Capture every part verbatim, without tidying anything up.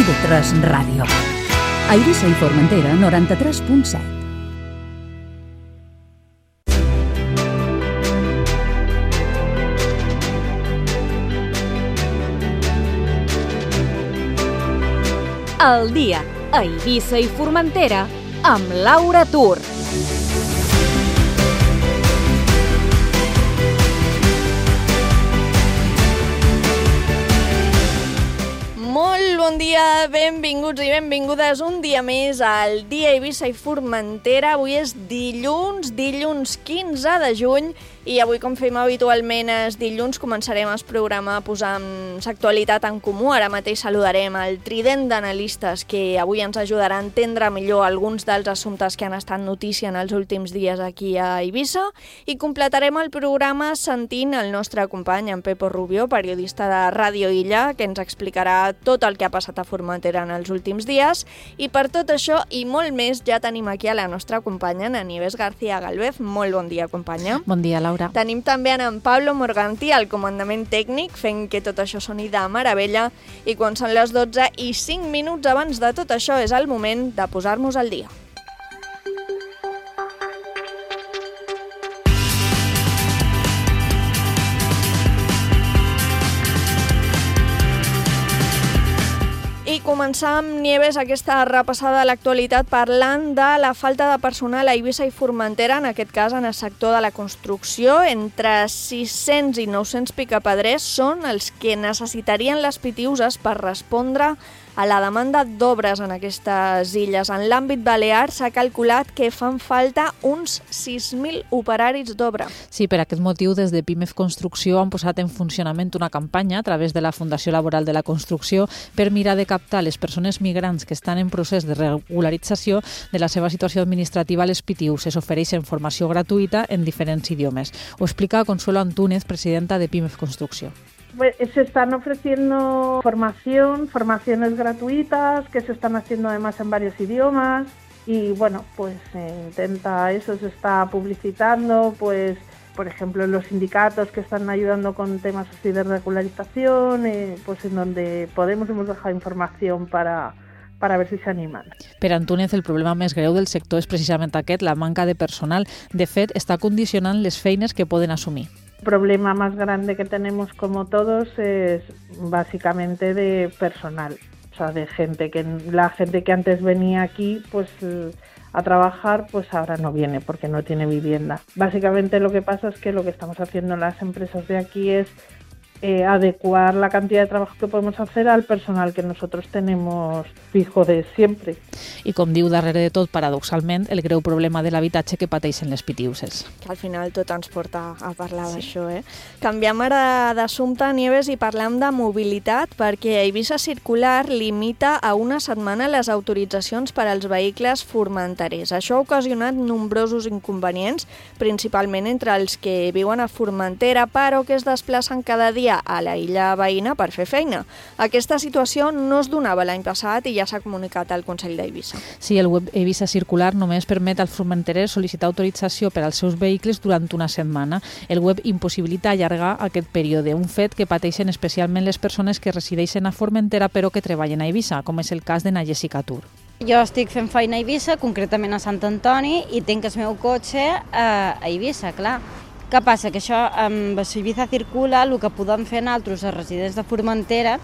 i ve tres Ràdio. A Eivissa i Formentera, noranta-tres punt set. El dia a Eivissa i Formentera amb Laura Tur. Molt bon dia, benvinguts i benvingudes un dia més al dia Eivissa i Formentera. Avui és dilluns, dilluns quinze de juny, i avui, com fem habitualment els dilluns, començarem el programa posant l'actualitat en comú. Ara mateix saludarem el trident d'analistes que avui ens ajudarà a entendre millor alguns dels assumptes que han estat notícia en els últims dies aquí a Eivissa, i completarem el programa sentint el nostre company, en Pepo Rubio, periodista de Ràdio Illa, que ens explicarà tot el que ha passat a Formentera en els últims dies. I per tot això i molt més ja tenim aquí a la nostra companya, en Nieves García Galvez. Molt bon dia, companya. Bon dia, Laura. Tenim també en Pablo Morganti al comandament tècnic, fent que tot això soni de meravella, i quan són les dotze i cinc minuts abans de tot això és el moment de posar-nos al dia. I començar amb Nieves aquesta repassada de l'actualitat parlant de la falta de personal a Eivissa i Formentera, en aquest cas en el sector de la construcció. Entre sis-cents i nou-cents picapedrers són els que necessitarien les pitiuses per respondre a la demanda d'obres en aquestes illes. En l'àmbit balear s'ha calculat que fan falta uns sis mil operaris d'obra. Sí, per aquest motiu, des de Pimef Construcció han posat en funcionament una campanya a través de la Fundació Laboral de la Construcció per mirar de captar les persones migrants que estan en procés de regularització de la seva situació administrativa a les P T Us. Es ofereixen formació gratuïta en diferents idiomes. Ho explica Consuelo Antúnez, presidenta de Pimef Construcció. Pues se están ofreciendo formación, formaciones gratuitas que se están haciendo además en varios idiomas, y bueno, pues se intenta eso, se está publicitando, pues por ejemplo los sindicatos que están ayudando con temas así de regularización, eh, pues en donde podemos hemos dejado información para para ver si s'animen. Per Antúnez, el problema més greu del sector és precisament aquest, la manca de personal. De fet, està condicionant les feines que poden assumir. El problema más grande que tenemos, como todos, es básicamente de personal, o sea, de gente que la gente que antes venía aquí, pues a trabajar, pues ahora no viene porque no tiene vivienda. Básicamente lo que pasa es que lo que estamos haciendo en las empresas de aquí es Eh, adecuar la cantidad de trabajo que podemos hacer al personal que nosotros tenemos fijo de siempre. I com diu darrere de tot, paradoxalment, el greu problema de l'habitatge que pateixen les pitiuses. Que al final tot ens porta a parlar sí. d'això, eh? Canviem ara d'assumpte, Nieves, i parlem de mobilitat, perquè Eivissa Circular limita a una setmana les autoritzacions per als vehicles formenterers. Això ha ocasionat nombrosos inconvenients, principalment entre els que viuen a Formentera, però que es desplacen cada dia a la illa veïna per fer feina. Aquesta situació no es donava l'any passat i ja s'ha comunicat al Consell d'Eivissa. Sí, el web Eivissa Circular només permet als formenterers sol·licitar autorització per als seus vehicles durant una setmana. El web impossibilita allargar aquest període, un fet que pateixen especialment les persones que resideixen a Formentera però que treballen a Eivissa, com és el cas de na Jessica Tur. Jo estic fent feina a Eivissa, concretament a Sant Antoni, i tinc el meu cotxe a Eivissa, clar. Què passa? Que això, amb Eivissa Circula, el que podem fer nosaltres, els residents de Formentera,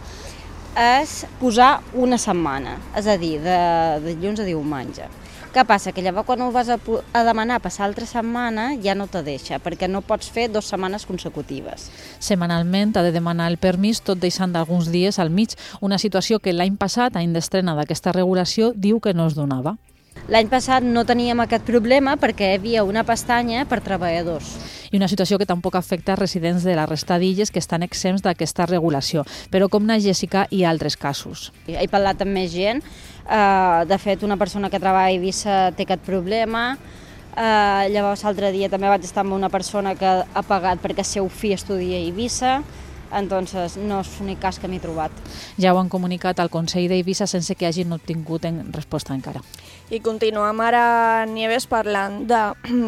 és posar una setmana, és a dir, de, de dilluns a diumenge. Què passa? Que llavors quan ho vas a, a demanar passar altra setmana ja no te deixa, perquè no pots fer dues setmanes consecutives. Setmanalment ha de demanar el permís, tot deixant alguns dies al mig, una situació que l'any passat, any d'estrena d'aquesta regulació, diu que no es donava. L'any passat no teníem aquest problema perquè hi havia una pestanya per treballadors. I una situació que tampoc afecta residents de la resta d'illes que estan exempts d'aquesta regulació, però com na Jessica i altres casos. He parlat amb més gent, uh, de fet una persona que treballa a Eivissa té aquest problema, uh, llavors l'altre dia també vaig estar amb una persona que ha pagat perquè el seu fill estudia a Eivissa, entonces no és l'únic cas que m'he trobat. Ja ho han comunicat al Consell d'Eivissa sense que hagin obtingut en resposta encara. I continuem ara, Nieves, parlant de,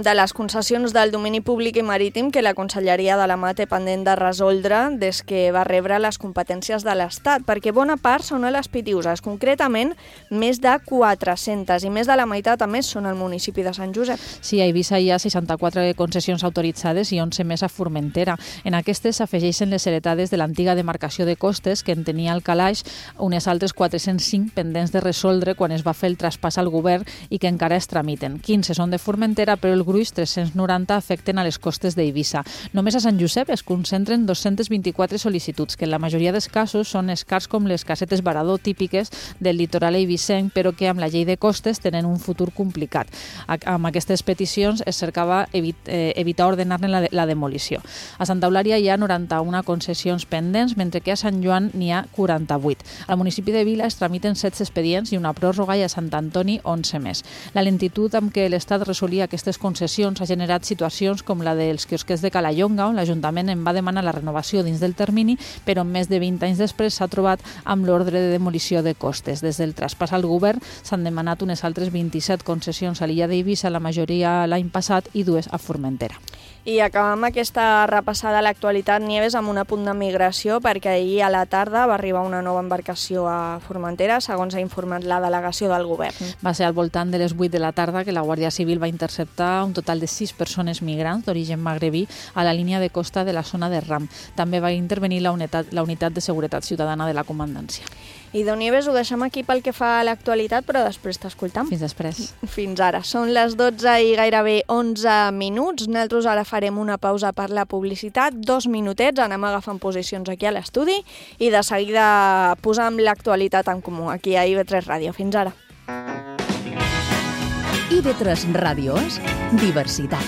de les concessions del domini públic i marítim que la Conselleria de la Mar té pendent de resoldre des que va rebre les competències de l'Estat, perquè bona part són a les Pitiüses, concretament més de quatre-centes, i més de la meitat a més són al municipi de Sant Josep. Sí, a Eivissa hi ha seixanta-quatre concessions autoritzades i onze més a Formentera. En aquestes s'afegeixen les heretades de l'antiga demarcació de costes que en tenia el calaix, unes altres quatre-cents cinc pendents de resoldre quan es va fer el traspàs al govern i que encara es tramiten. quinze són de Formentera, però el gruix, tres-cents noranta, afecten a les costes d'Eivissa. Només a Sant Josep es concentren dos-cents vint-i-quatre sol·licituds, que en la majoria dels casos són escars com les casetes varador típiques del litoral eivissenc, però que amb la llei de costes tenen un futur complicat. Amb aquestes peticions es cercava evit, eh, evitar ordenar-ne la, la demolició. A Santa Eulària hi ha noranta-una concessions pendents, mentre que a Sant Joan n'hi ha quaranta-vuit. Al municipi de Vila es tramiten setze expedients i una pròrroga, i a Sant Antoni onze més. La lentitud amb què l'Estat resolia aquestes concessions ha generat situacions com la dels quiosquers de Calallonga, on l'Ajuntament en va demanar la renovació dins del termini, però més de vint anys després s'ha trobat amb l'ordre de demolició de costes. Des del traspàs al govern s'han demanat unes altres vint-i-set concessions a l'illa d'Eivissa, la majoria l'any passat i dues a Formentera. I acabem aquesta repassada a l'actualitat, Nieves, amb un apunt de migració, perquè ahir a la tarda va arribar una nova embarcació a Formentera, segons ha informat la delegació del govern. Va ser al voltant de les vuit de la tarda que la Guàrdia Civil va interceptar un total de sis persones migrants d'origen magrebí a la línia de costa de la zona de Ram. També va intervenir la unitat, la unitat de seguretat ciutadana de la comandància. I Déu Nieves, ho deixem aquí pel que fa a l'actualitat, però després t'escoltam. Fins després. Fins ara. Són les dotze i gairebé onze minuts. Nosaltres ara farem una pausa per la publicitat, dos minutets, anem agafant posicions aquí a l'estudi i de seguida posam l'actualitat en comú aquí a I V tres Ràdio. Fins ara. I V tres Ràdio és diversitat.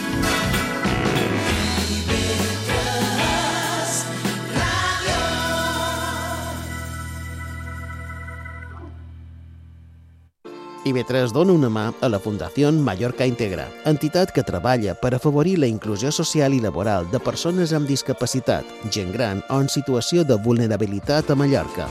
I V tres dona una mà a la Fundació Mallorca Integra, entitat que treballa per afavorir la inclusió social i laboral de persones amb discapacitat, gent gran o en situació de vulnerabilitat a Mallorca.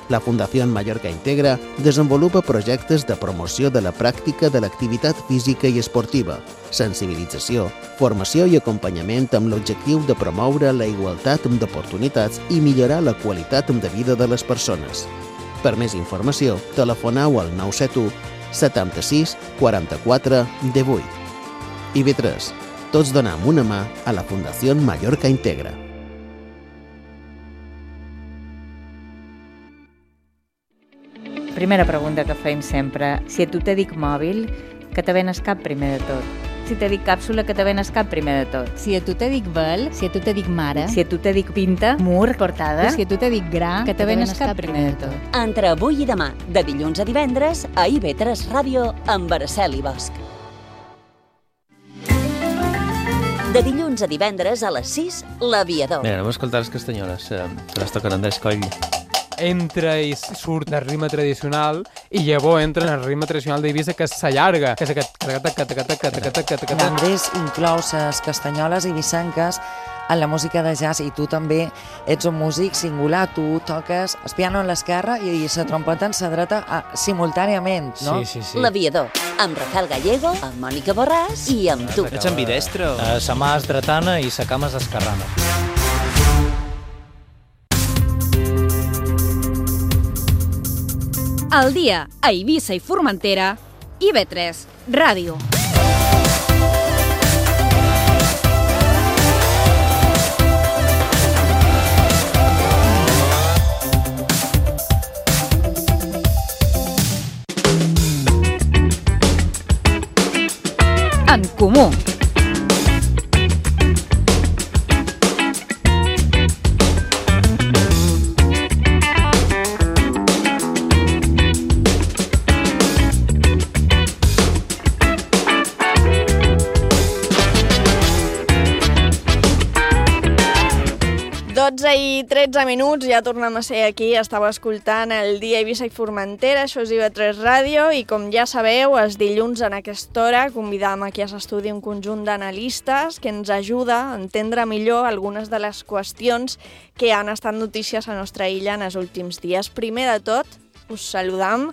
La Fundació Mallorca Integra desenvolupa projectes de promoció de la pràctica de l'activitat física i esportiva, sensibilització, formació i acompanyament amb l'objectiu de promoure la igualtat d'oportunitats i millorar la qualitat de vida de les persones. Per més informació, telefoneu al nou set u setanta-sis quaranta-quatre divuit. I V tres. Tots donem una mà a la Fundació Mallorca Integra. Primera pregunta que feim sempre. Si a tu te dic mòbil, que te venes cap primer de tot? Si te dic càpsula, que te venes cap primer de tot? Si a tu te dic vel, si a tu te dic mare, si a tu te dic pinta, mur, portada, si a tu te dic gra, que te venes cap primer de tot? Entre avui i demà, de dilluns a divendres, a I V tres Ràdio, amb Araceli Bosch. De dilluns a divendres a les sis, L'Aviador. Bé, anem a escoltar les castanyoles, eh, que les toquen Andrés Coll. Entra i surt del ritme tradicional i llavors entra en el ritme tradicional d'Eivissa, que s'allarga, que és aquest... Andrés inclou les castanyoles eivissenques en la música de jazz, i tu també ets un músic singular, tu toques el piano en l'esquerra i la trompeta en la dreta a, simultàniament, no? Sí, sí, sí. L'Aviador, amb Rafael Gallego, amb Mònica Borràs i amb tu. Ets ambidestro? Uh, sa mà és dretana i sa cama és esquerrana. Al dia, a Eivissa i Formentera, I V tres Ràdio. En comú. dotze onze i tretze minuts, ja tornem a ser aquí. Estava escoltant el Dia Eivissa i Formentera, això és I V tres Ràdio, i com ja sabeu, els dilluns en aquesta hora convidam aquí a l'estudi un conjunt d'analistes que ens ajuda a entendre millor algunes de les qüestions que han estat notícies a la nostra illa en els últims dies. Primer de tot, us saludam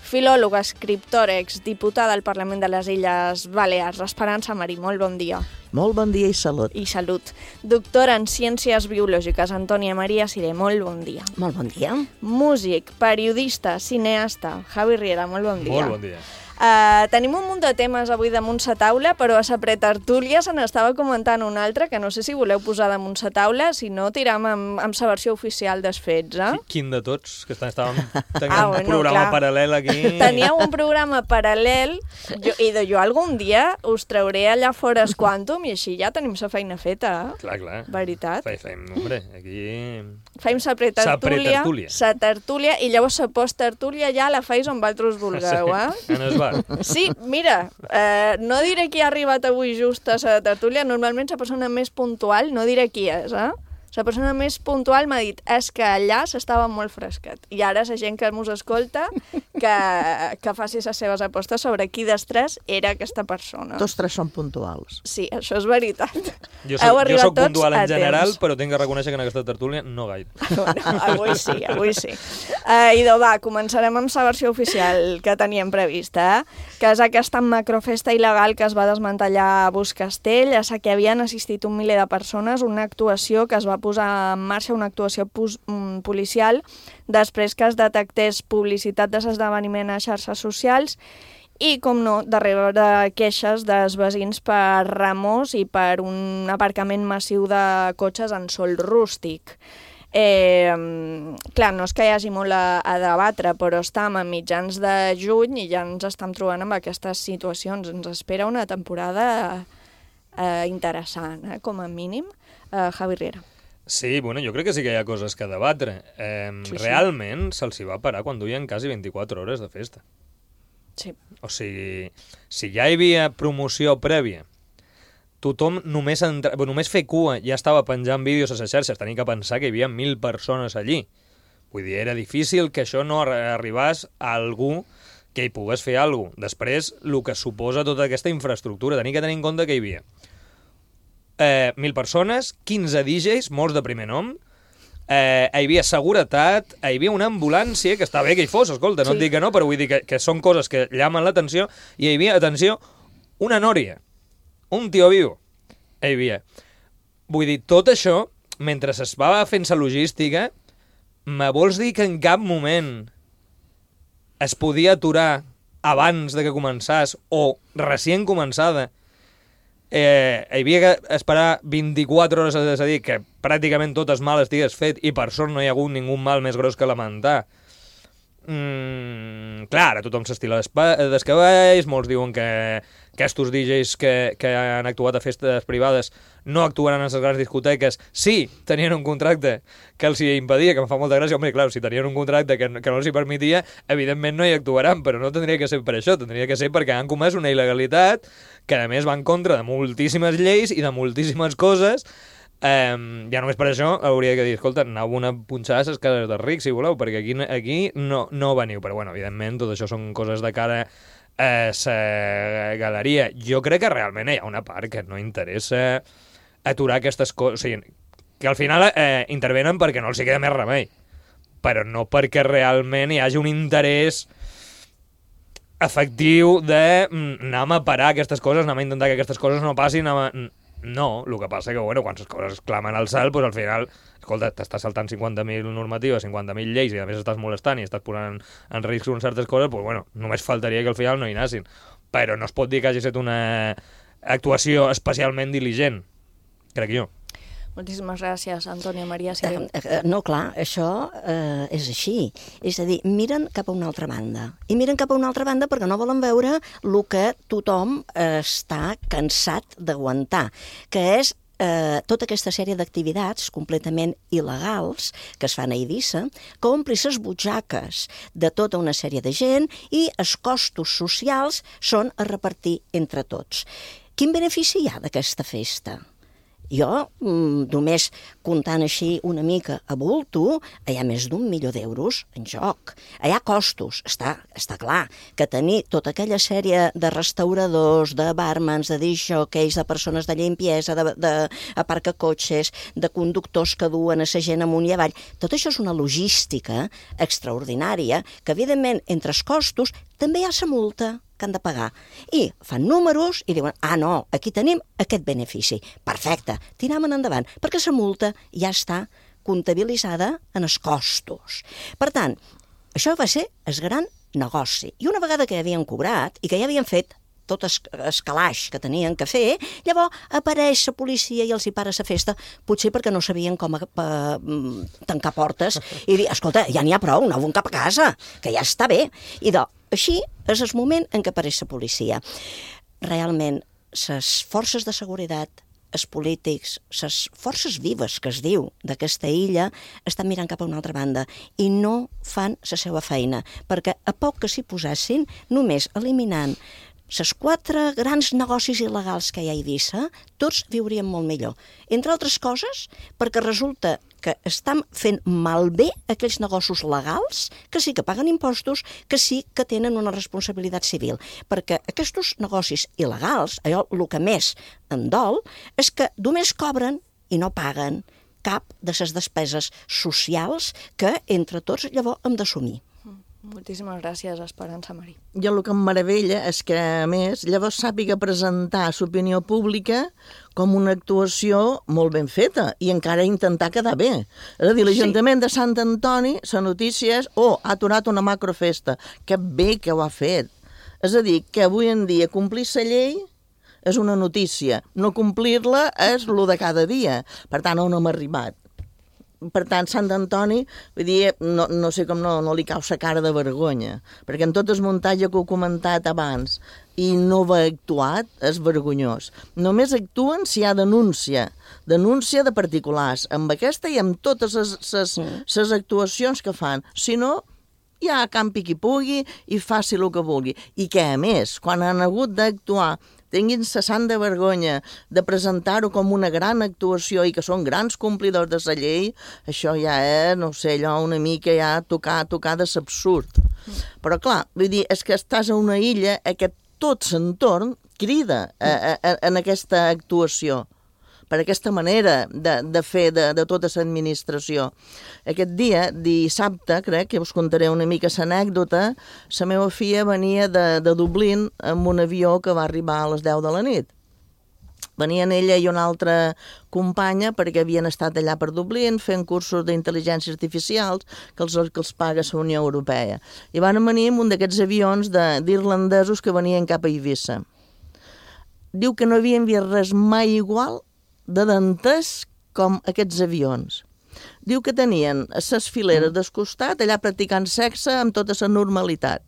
filòloga, escriptora, exdiputada al Parlament de les Illes Balears, Esperança Marí. Molt bon dia. Molt bon dia i salut. I salut. Doctora en Ciències Biològiques, Antònia Maria Siré. Molt bon dia. Molt bon dia. Músic, periodista, cineasta, Javi Riera. Molt bon dia. Molt bon dia. Uh, tenim un munt de temes avui damunt sa taula, però a sa pretertúlia se n'estava comentant un altre, que no sé si voleu posar damunt sa taula, si no tiram amb, amb sa versió oficial dels fets, eh? Quin de tots? Que estàvem tenint ah, un bueno, programa clar. paral·lel aquí. Teníeu un programa paral·lel, jo, i de jo algun dia us trauré allà fora es Quantum, i així ja tenim sa feina feta, eh? Clar, clar. Veritat. Fem, fem hombre, aquí... Fem sa pretertúlia, sa tertúlia, i llavors sa posttertúlia ja la feis on vosaltres vulgueu, eh? Sí, en es bar. Sí, mira, eh, no diré qui ha arribat avui just a la tertúlia, normalment la persona més puntual, no diré qui és, eh? La persona més puntual m'ha dit és que allà s'estava molt fresquet. I ara la gent que mos escolta que, que faci les seves apostes sobre qui dels tres era aquesta persona. Tots tres són puntuals. Sí, això és veritat. Jo soc, jo soc puntual en general, però tinc que reconèixer que en aquesta tertúlia no gaire. Bueno, avui sí, avui sí. Uh, idò, va, començarem amb la versió oficial que teníem prevista, eh? Que és aquesta macrofesta il·legal que es va desmantellar a Buscastell, a la que havien assistit un miler de persones, una actuació que es va posar en marxa, una actuació policial, després que es detectés publicitat de l'esdeveniment a xarxes socials i, com no, darrere de queixes dels veïns per remors i per un aparcament massiu de cotxes en sòl rústic. Eh, clar, no és que hi hagi molt a, a debatre, però estem a mitjans de juny i ja ens estem trobant amb aquestes situacions. Ens espera una temporada eh, interessant, eh, com a mínim. Eh, Javi Riera. Sí, bueno, jo crec que sí que hi ha coses que debatre. Eh, sí, sí. Realment se'ls hi va parar quan duien quasi vint-i-quatre hores de festa. Sí. O sigui, si ja hi havia promoció prèvia, tothom només, entra... bueno, només fer cua ja estava penjant vídeos a les xarxes, tenia que pensar que hi havia mil persones allí. Vull dir, era difícil que això no arribés a algú que hi pogués fer alguna cosa. Després, el que suposa tota aquesta infraestructura, tenia que tenir en compte que hi havia Eh, mil persones, quinze D Js, molts de primer nom, eh, hi havia seguretat, hi havia una ambulància, que està bé que hi fos, escolta, no sí. et dic que no, però vull dir que, que són coses que llamen l'atenció, i hi havia, atenció, una nòria, un tio viu, hi havia. Vull dir, tot això, mentre es va fent la logística, me vols dir que en cap moment es podia aturar abans de que començàs, o recient començada, Eh, hi havia que esperar vint-i-quatre hores, és a dir, que pràcticament totes mal estigues fet i per sort no hi ha hagut ningú mal més gros que lamentar. Mm, clar, ara tothom s'estila dels cavalls, molts diuen que aquests D Js que, que han actuat a festes privades no actuaran en les grans discoteques. Sí, tenien un contracte que els hi impedia, que em fa molta gràcia. Home, clar, si tenien un contracte que, que no els hi permetia, evidentment no hi actuaran, però no tindria que ser per això, tindria que ser perquè han comès una il·legalitat que a més va en contra de moltíssimes lleis i de moltíssimes coses. Um, ja només per això hauria de dir, escolta, aneu una punxada a les cases dels rics, si voleu, perquè aquí, aquí no, no veniu. Però bueno, evidentment, tot això són coses de cara a la galeria. Jo crec que realment hi ha una part que no interessa aturar aquestes coses. O sigui, que al final eh, intervenen perquè no els hi queda més remei, però no perquè realment hi hagi un interès efectiu de mm, anem a parar aquestes coses, anem a intentar que aquestes coses no passin, a... No, el que passa que, bueno, quan les coses clamen al cel, doncs al final, escolta, t'estàs saltant cinquanta mil normatives, cinquanta mil lleis, i a més estàs molestant i estàs posant en risc unes certes coses, doncs, bueno, només faltaria que al final no hi anessin. Però no es pot dir que hagi estat una actuació especialment diligent, crec jo. Moltíssimes gràcies, Antònia Maria Siré. Eh, eh, no, clar, això eh, és així. És a dir, miren cap a una altra banda. I miren cap a una altra banda perquè no volen veure el que tothom eh, està cansat d'aguantar, que és eh, tota aquesta sèrie d'activitats completament il·legals que es fan a Eivissa, que ompli les butxaques de tota una sèrie de gent i els costos socials són a repartir entre tots. Quin benefici hi ha d'aquesta festa? Jo, només comptant així una mica a bulto, hi ha més d'un milió d'euros en joc. Hi ha costos, està, està clar, que tenir tota aquella sèrie de restauradors, de barmans, de disjòqueis, de persones de limpiesa, de, de aparcacotxes, de conductors que duen a la gent amunt i avall, tot això és una logística extraordinària que, evidentment, entre els costos també hi ha la multa que han de pagar. I fan números i diuen, ah, no, aquí tenim aquest benefici. Perfecte, tirem-en endavant, perquè la multa ja està comptabilitzada en els costos. Per tant, això va ser el gran negoci. I una vegada que havien cobrat i que ja havien fet tot el calaix que tenien que fer, llavors apareix la policia i els hi para la festa, potser perquè no sabien com a, a, tancar portes i dir, escolta, ja n'hi ha prou, aneu cap a casa, que ja està bé. I doncs, així és el moment en què apareix la policia. Realment, les forces de seguretat, els polítics, les forces vives que es diu d'aquesta illa, estan mirant cap a una altra banda i no fan la seva feina, perquè a poc que s'hi posessin, només eliminant els quatre grans negocis il·legals que hi ha a Eivissa, tots viurien molt millor. Entre altres coses, perquè resulta que estan fent malbé aquells negocis legals que sí que paguen impostos, que sí que tenen una responsabilitat civil. Perquè aquests negocis il·legals, allò el que més em dol, és que només cobren i no paguen cap de les despeses socials que entre tots llavors hem d'assumir. Moltíssimes gràcies, Esperança Marí. Jo el que em meravella és que, a més, llavors sàpiga presentar l'opinió pública com una actuació molt ben feta i encara intentar quedar bé. És a dir, l'Ajuntament de Sant Antoni, la notícia és, oh, ha aturat una macrofesta. Que bé que ho ha fet. És a dir, que avui en dia complir la llei és una notícia. No complir-la és el de cada dia. Per tant, on hem arribat? Per tant, Sant Antoni, vull dir, no, no sé com no, no li cau sa cara de vergonya, perquè en tot el muntatge que he comentat abans i no va actuat, és vergonyós. Només actuen si hi ha denúncia, denúncia de particulars, amb aquesta i amb totes les actuacions que fan. Si no, ja campi qui pugui i faci el que vulgui. I que, a més, quan han hagut d'actuar, tinguin la santa vergonya de presentar-ho com una gran actuació i que són grans complidors de la llei, això ja és, no sé, allò una mica ja tocar, tocar de l'absurd. Però clar, vull dir, és que estàs a una illa en què tot l'entorn crida a, a, en aquesta actuació, per aquesta manera de, de fer de, de tota l'administració. Aquest dia, dissabte, crec que us contaré una mica l'anècdota, la meva filla venia de, de Dublín amb un avió que va arribar a les deu de la nit. Venien ella i una altra companya perquè havien estat allà per Dublín fent cursos d'intel·ligència artificials que els, que els paga la Unió Europea. I van venir amb un d'aquests avions d'irlandesos que venien cap a Eivissa. Diu que no havien vist res mai igual de dentès com aquests avions. Diu que tenien les fileres del costat allà practicant sexe amb tota la normalitat.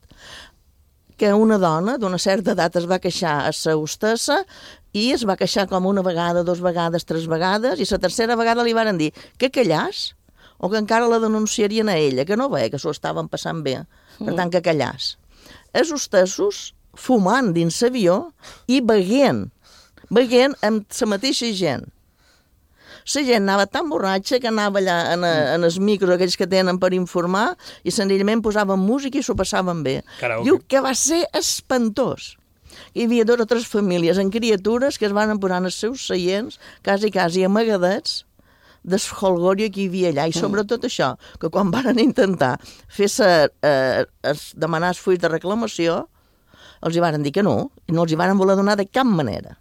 Que una dona d'una certa edat es va queixar a la hostessa i es va queixar com una vegada, dos vegades, tres vegades, i la tercera vegada li varen dir que callàs o que encara la denunciarien a ella, que no veia que s'ho estaven passant bé, per tant que callàs. Els hostessos fumant dins l'avió i beguent, beguent amb la mateixa gent. La gent anava tan borratxa que anava allà en, a, en els micros aquells que tenen per informar i senzillament posaven música i s'ho passaven bé. Karaoke. Diu que va ser espantós. Hi havia dues o tres famílies amb criatures que es van posar en els seus seients, quasi, quasi amagadets, del holgorio que hi havia allà. I sobretot això, que quan van intentar fer-se eh, demanar els fulls de reclamació, els hi van dir que no, i no els hi van voler donar de cap manera.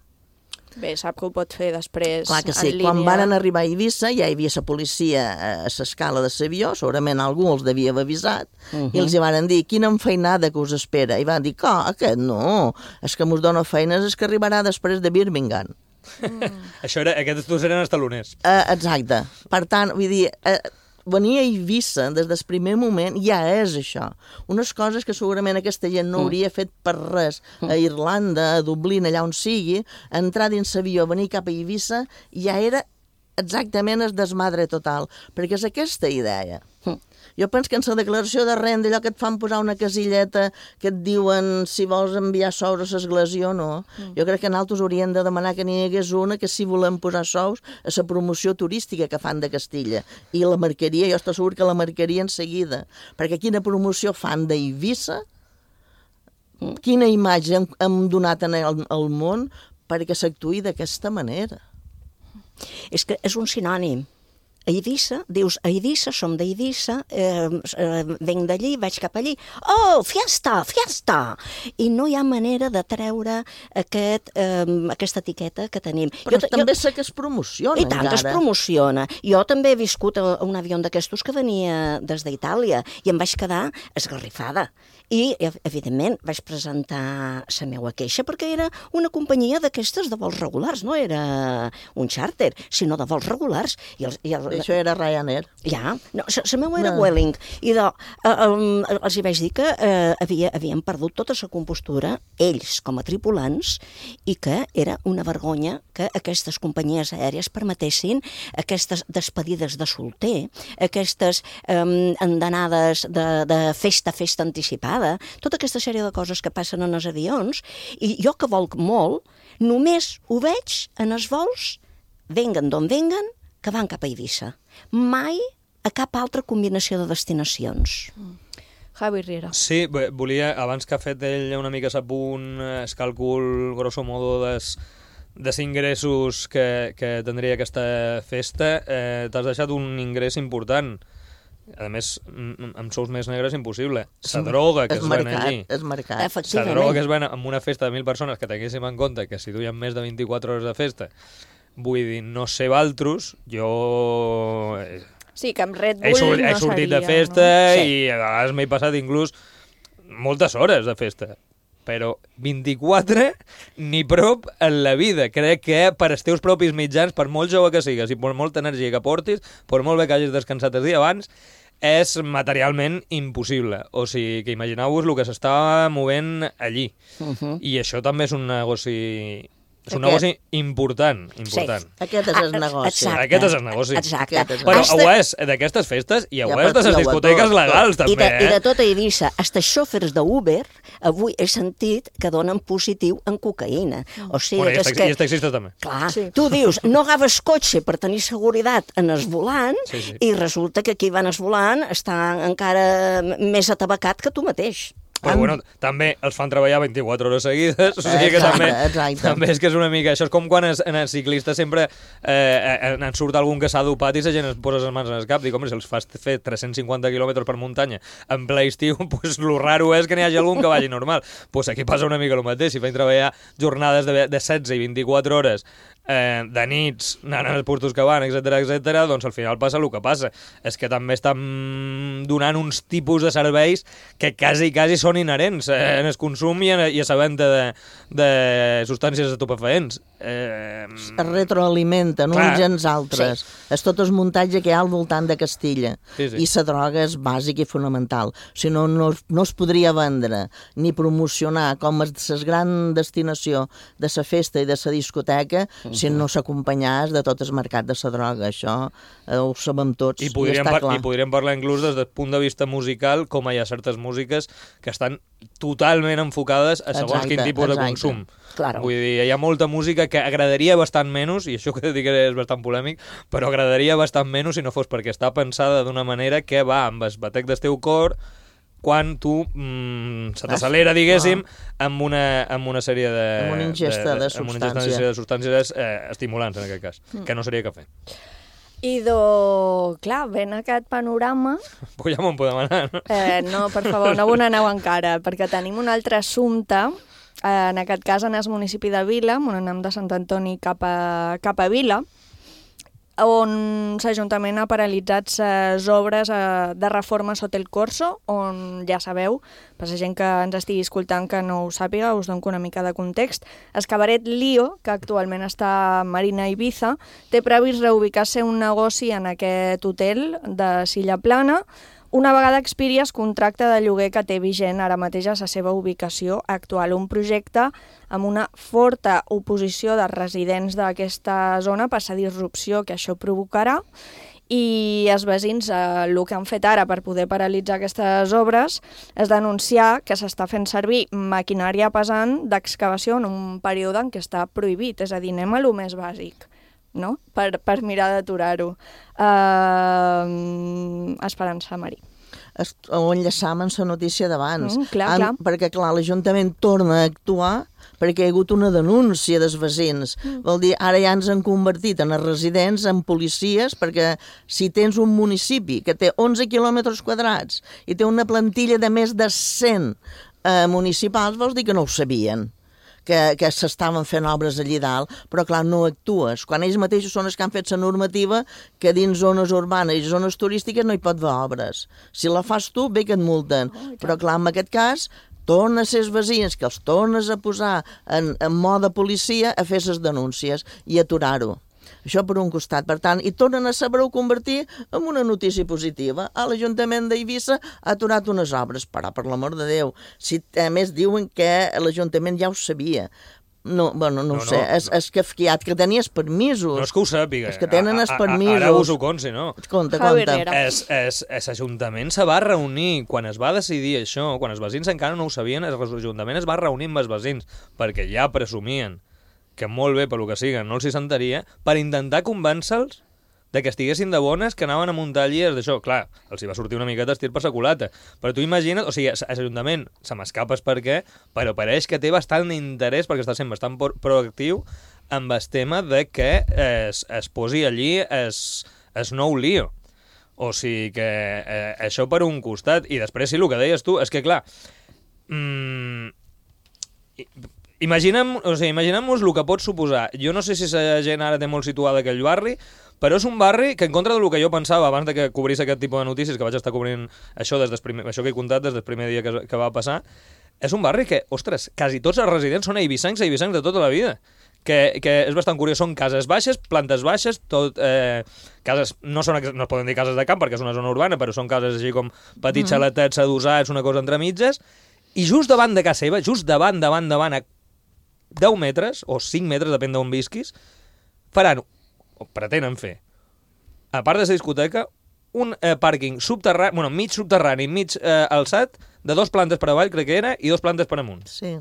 Bé, sap que ho pot fer després Clar que sí, en línia. quan van arribar a Eivissa ja hi havia la policia a l'escala de l'avió, segurament algú els devia haver avisat, uh -huh. i els hi van dir, quina enfeinada que us espera. I van dir, que aquest no, és que mos dona feines, és que arribarà després de Birmingham. Mm. Això era, aquests dos eren els taloners. Uh, exacte. Per tant, vull dir, uh, venir a Eivissa des del primer moment ja és això. Unes coses que segurament aquesta gent no hauria fet per res a Irlanda, a Dublín, allà on sigui, entrar dins l'avió, venir cap a Eivissa, ja era exactament el desmadre total, perquè és aquesta idea. Jo penso que en la declaració de renda, allò que et fan posar una casilleta que et diuen si vols enviar sous a l'església o no, mm. jo crec que nosaltres hauríem de demanar que n'hi hagués una que si volem posar sous a la promoció turística que fan de Castilla. I la marcaria, jo estic segur que la marcaria en seguida, perquè quina promoció fan d'Eivissa, quina imatge hem, hem donat en el, el món perquè s'actuï d'aquesta manera. És que és un sinònim. A Eivissa, dius, a Eivissa, som d'Eivissa, eh, eh, venc d'allí, vaig cap allí, oh, fiesta, fiesta! I no hi ha manera de treure aquest, eh, aquesta etiqueta que tenim. Però jo, també jo... sé que es promociona, I tant encara. que es promociona. Jo també he viscut a un avió d'aquestos que venia des d'Itàlia i em vaig quedar esgarrifada. I, evidentment, vaig presentar la meva queixa perquè era una companyia d'aquestes de vols regulars, no era un xàrter, sinó de vols regulars. I els, i el, Això era Ryanair. Ja, no, la meva era No. Vueling. I de, eh, um, els hi vaig dir que eh, havia, havien perdut tota la compostura, ells com a tripulants, i que era una vergonya que aquestes companyies aèries permetessin aquestes despedides de solter, aquestes eh, andanades de, de festa, festa anticipada, tota aquesta sèrie de coses que passen en els avions, i jo que volc molt, només ho veig en els vols, venguen d'on venguen, que van cap a Eivissa. Mai a cap altra combinació de destinacions. Mm. Javi Riera. Sí, bé, volia, abans que ha fet ell una mica s'apunt, el càlcul grosso modo des, dels ingressos que, que tindria aquesta festa, eh, t'has deixat un ingrés important. A més, amb sous més negres impossible. La droga que es, es ven allí. És mercat. La droga que es ven amb una festa de mil persones, que tinguéssim en compte que si duien més de vint-i-quatre hores de festa, vull dir, no sé valtros, jo... Sí, que amb Red Bull he, sort, no he sortit seria, de festa no? Sí. I a vegades m'he passat inclús moltes hores de festa. Però vint-i-quatre ni prop en la vida. Crec que per als teus propis mitjans, per molt jove que sigues i per molta energia que portis, per molt bé que hagis descansat el dia abans, és materialment impossible. O sigui, que imagineu-vos el que s'estava movent allí. Uh-huh. I això també és un negoci... És un Aquest. negoci important, important. Sí. Aquest és el negoci. Exacte. Aquest és el negoci. Exacte. Però Hasta... ho és d'aquestes festes i ho Ja, és de les discoteques legals, també, I de, eh? I de tota Eivissa, hasta xòfers d'Uber, avui he sentit que donen positiu en cocaïna. O sigui, Bueno, i que els és que... taxi- i els taxistes també. Clar, sí. Tu dius, no agaves cotxe per tenir seguretat en el volant, Sí, sí. i resulta que qui va en el volant està encara més atabacat que tu mateix. Però bueno, també els fan treballar vint-i-quatre hores seguides, o sigui que Exacte, també, exacte. també és que és una mica... Això és com quan es, en el ciclista sempre eh, en surt algun que s'ha dopat i la gent es posa les mans en el cap. Dic, home, si els fas fer tres-cents cinquanta quilòmetres per muntanya en ple estiu, pues lo raro és que n'hi hagi algun que vagi normal. Pues aquí passa una mica el mateix. Si fan treballar jornades de, de setze i vint-i-quatre hores eh, de nits, anant als puestos que van, etcètera, etcètera, doncs al final passa el que passa. És que també estan donant uns tipus de serveis que quasi, quasi són inherents eh, en el consum i, en, i a la venda de, de substàncies estupefaents. Eh, es retroalimenten clar. uns i els altres. Sí. És tot el muntatge que hi ha al voltant de Castilla. Sí, sí. I la droga és bàsica i fonamental. Si no, no, no es podria vendre ni promocionar com a la gran destinació de la festa i de la discoteca uh-huh. si no s'acompanyàs de tot el mercat de la droga. Això eh, ho sabem tots I i, podríem, està par clar. I podríem parlar inclús des del punt de vista musical, com hi ha certes músiques que estan totalment enfocades a segons Exacte, quin tipus exacte. de consum. Claro. Vull dir, hi ha molta música que agradaria bastant menys, i això que dic és bastant polèmic, però agradaria bastant menys si no fos perquè està pensada d'una manera que va amb el batec del teu cor quan tu mm, se t'accelera, diguéssim, amb una, amb una sèrie de... Amb una ingesta de, de, de amb una ingesta substància. de substàncies eh, estimulants, en aquest cas, Mm. que no seria cafè. I do, clar, ven aquest panorama... Pues ja m'ho podem anar, no? Eh, no, per favor, no on aneu encara, perquè tenim un altre assumpte, eh, en aquest cas en el municipi de Vila, on anem de Sant Antoni cap a, cap a Vila, on l'Ajuntament ha paralitzat les obres eh, de reforma sota el Corso, on ja sabeu, per la gent que ens estigui escoltant que no ho sàpiga, us dono una mica de context. El cabaret Lío, que actualment està a Marina Ibiza, té previst reubicar-se un negoci en aquest hotel de Silla Plana, una vegada expiri el contracte de lloguer que té vigent ara mateix a la seva ubicació actual. Un projecte amb una forta oposició de residents d'aquesta zona per la disrupció que això provocarà, i els veïns eh, el que han fet ara per poder paralitzar aquestes obres és denunciar que s'està fent servir maquinària pesant d'excavació en un període en què està prohibit, és a dir, anem a lo més bàsic, no? per, per mirar d'aturar-ho. Uh, Esperança, Marí. O enllaçam amb la notícia d'abans. Mm, clar, clar. Perquè, clar, l'Ajuntament torna a actuar perquè hi ha hagut una denúncia dels veïns. Mm. Vol dir, ara ja ens han convertit en els residents, en policies, perquè si tens un municipi que té onze quilòmetres quadrats i té una plantilla de més de cent eh, municipals, vols dir que no ho sabien, que, que s'estaven fent obres allí dalt, però clar, no actues. Quan ells mateixos són els que han fet la normativa que dins zones urbanes i zones turístiques no hi pot haver obres. Si la fas tu, bé que et multen. Oh, però clar, en aquest cas, torna a ser els veïns que els tornes a posar en, en mode policia a fer les denúncies i aturar-ho. Això per un costat. Per tant, i tornen a saber-ho convertir en una notícia positiva. A l'Ajuntament d'Eivissa ha aturat unes obres, però per l'amor de Déu. Si, a més, diuen que l'Ajuntament ja ho sabia. No, bueno, no, no ho sé, no, és, no. és kafkiat, que tenies permisos. No és que ho sàpiga. És que tenen els permisos. Ara us ho consi, no? Conta, conta. Es, es, es Ajuntament se va reunir, quan es va decidir això, quan els veïns encara no ho sabien, l'Ajuntament es va reunir amb els veïns, perquè ja presumien que molt bé, per lo que siga, no els hi sentaria, per intentar convèncer-los de que estiguessin de bones, que anaven a muntar llies d'això. Clar, els hi va sortir una miqueta estir per sa culata. Però tu imagina't, o sigui, l'Ajuntament, se m'escapes per què, però pareix que té bastant interès, perquè està sent bastant proactiu, amb el tema de que es, es posi allí es, es nou lío. O sigui que eh, això per un costat. I després, sí, el que deies tu, és que, clar, mmm, Imaginem, o sigui, imaginem-nos el que pot suposar. Jo no sé si la gent ara té molt situada aquell barri, però és un barri que, en contra del que jo pensava abans de que cobrís aquest tipus de notícies, que vaig estar cobrint això, des del primer, això que he contat des del primer dia que, que va passar, és un barri que, ostres, quasi tots els residents són eivissencs, eivissencs de tota la vida. Que, que és bastant curiós, són cases baixes, plantes baixes, tot, eh, cases, no, són, no es poden dir cases de camp perquè és una zona urbana, però són cases així com petits xaletets adossats, una cosa entre mitges, i just davant de casa seva, just davant, davant, davant, a deu metres, o cinc metres, depèn d'on visquis, faran, o pretenen fer, a part de la discoteca, un eh, pàrquing subterrani, bueno, mig subterrani, mig eh, alçat, de dos plantes per avall, crec que era, i dos plantes per amunt. Sí.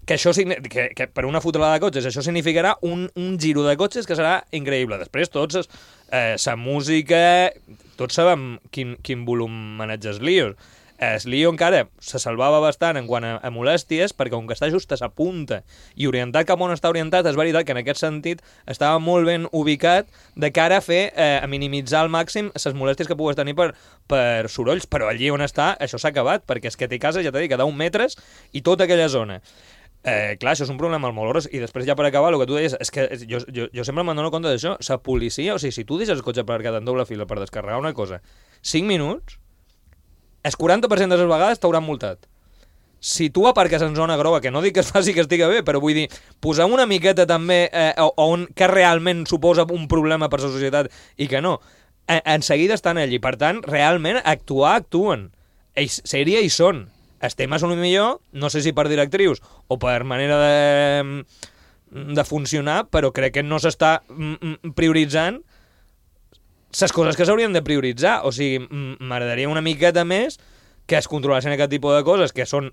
Que això, que, que per una fotelada de cotxes, això significarà un, un giro de cotxes que serà increïble. Després, tots, eh, sa música, tots sabem quin, quin volum maneja els lios. El lío encara se salvava bastant en quant a, a molèsties, perquè com que està just a sa punta i orientat cap on està orientat, és veritat que en aquest sentit estava molt ben ubicat de cara a fer, eh, a minimitzar al màxim les molèsties que pogués tenir per, per sorolls, però allí on està això s'ha acabat, perquè és que té casa, ja t'he dit, que deu metres i tota aquella zona. Eh, clar, això és un problema molt gros. I després ja per acabar, el que tu deies és que jo, jo, jo sempre me'n dono compte d'això. La policia, o sigui, si tu deixes el cotxe aparcat en doble fila per descarregar una cosa cinc minuts, el quaranta per cent de les vegades t'hauran multat. Si tu aparques en zona groga, que no dic que es faci que estigui bé, però vull dir, posar una miqueta també eh, on que realment suposa un problema per la societat i que no, en, en seguida estan allí. Per tant, realment, actuar, actuen. Ells, sèrie hi són. Els temes són millor, no sé si per directrius o per manera de, de funcionar, però crec que no s'està prioritzant les coses que s'haurien de prioritzar. O sigui, m'agradaria una miqueta més que es controlessin aquest tipus de coses, que són,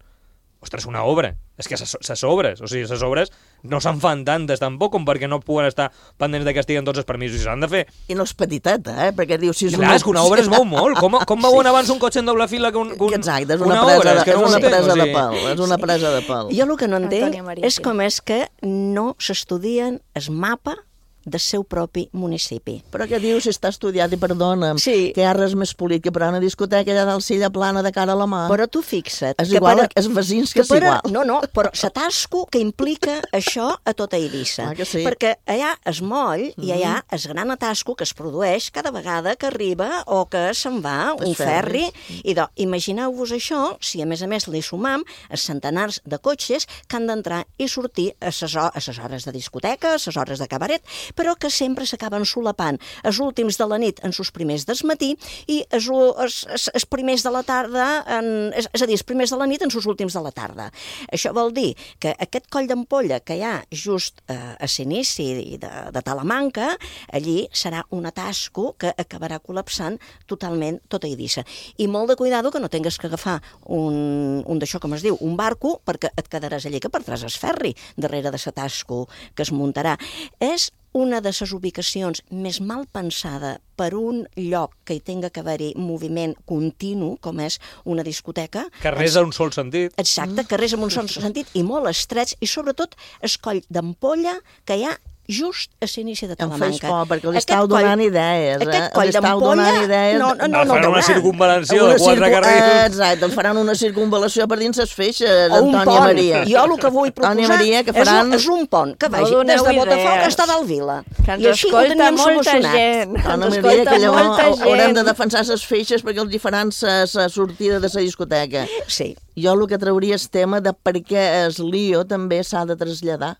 ostres, una obra. És que les obres, o sigui, les obres no se'n fan tantes tampoc com perquè no puguen estar pendents de que estiguen tots els permisos i s'han de fer. I no és petiteta, eh? Perquè dius... Si és Clar, una... és que una obra es mou molt. Com, com veuen sí. abans un cotxe en doble fila que un, que un, Exacte, és una, una presa, obra? De, és, que és no una entenc, presa o sigui... de pal. És una presa de pal. Jo el que no entenc és com és que no s'estudien el mapa del seu propi municipi. Però què dius si està estudiat, i perdona'm, sí. que hi ha res més polit que per a una discoteca allà dalt silla plana de cara a la mà? Però tu fixa't... És igual, per, és veïns que, que és per, igual. No, no, però s'atasco que implica això a tota Eivissa. Ah, sí. Perquè allà es moll mm. i allà es gran atasco que es produeix cada vegada que arriba o que se'n va un es ferri. ferri. I doncs, imagineu-vos això, si a més a més li sumam els centenars de cotxes que han d'entrar i sortir a ses, a ses hores de discoteca, a ses hores de cabaret, però que sempre s'acaben solapant els últims de la nit en els primers del matí i els, els, els, els primers de la tarda, en, és, és a dir, els primers de la nit en els últims de la tarda. Això vol dir que aquest coll d'ampolla que hi ha just eh, a l'inici de, de Talamanca, allí serà un atasco que acabarà col·lapsant totalment tota Eivissa. I molt de cuidado que no tingues que agafar un, un d'això, com es diu, un barco, perquè et quedaràs allí que perdràs el ferri darrere de l'atasco que es muntarà. És una de les ubicacions més mal pensada per un lloc que hi tinga que haver-hi moviment continu, com és una discoteca. Carrers a un sol sentit. Exacte, carrers amb un sol sentit i molt estrets, i sobretot el coll d'ampolla que hi ha just a l'inici de Talamanca. Em fes por, perquè li estàu donant idees, eh? Aquest coll Li estàu donant idees... No, no, no, no, faran una circunvalació de quatre carrils. Exacte, faran una circunvalació per dins les feixes o un d'Antònia pont. Maria. Jo el que vull proposar Maria, que faran... és, un, és un pont que vagi No des de doneu Botafoc idees. fins a Dalvila. Que ens I així ho escolta teníem molta solucionat. gent. Dona Ens Maria, que escolta llavors molta gent. haurem de defensar les feixes perquè els hi faran la sortida de la discoteca. Sí. Jo el que trauria és tema de per què el lío també s'ha de traslladar.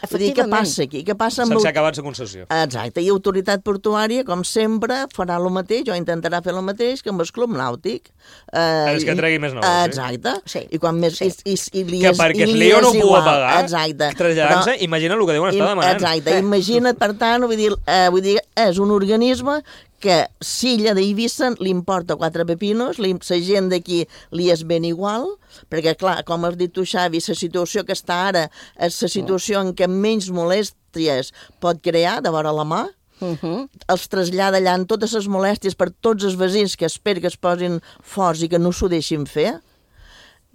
Vull dir, què passa aquí? Què passa amb... Sense acabar la concessió. Exacte, i autoritat portuària, com sempre, farà el mateix, o intentarà fer el mateix que amb el club nàutic. Eh, és que tregui més nous. Exacte. Sí. I quan més... Sí. I, i, i li que és, perquè i el li lío no és ho pugui igual. pagar, Exacte. traslladant-se, imagina el que deuen estar demanant. Exacte, imagina't, per tant, vull dir, eh, vull dir, és un organisme que si ella d'Eivissa li importa quatre pepinos, li, la gent d'aquí li és ben igual, perquè, clar, com has dit tu, Xavi, la situació que està ara és la situació en què menys molèsties pot crear de vora la mà, Uh -huh. els trasllada allà en totes les molèsties per tots els veïns que espero que es posin forts i que no s'ho deixin fer.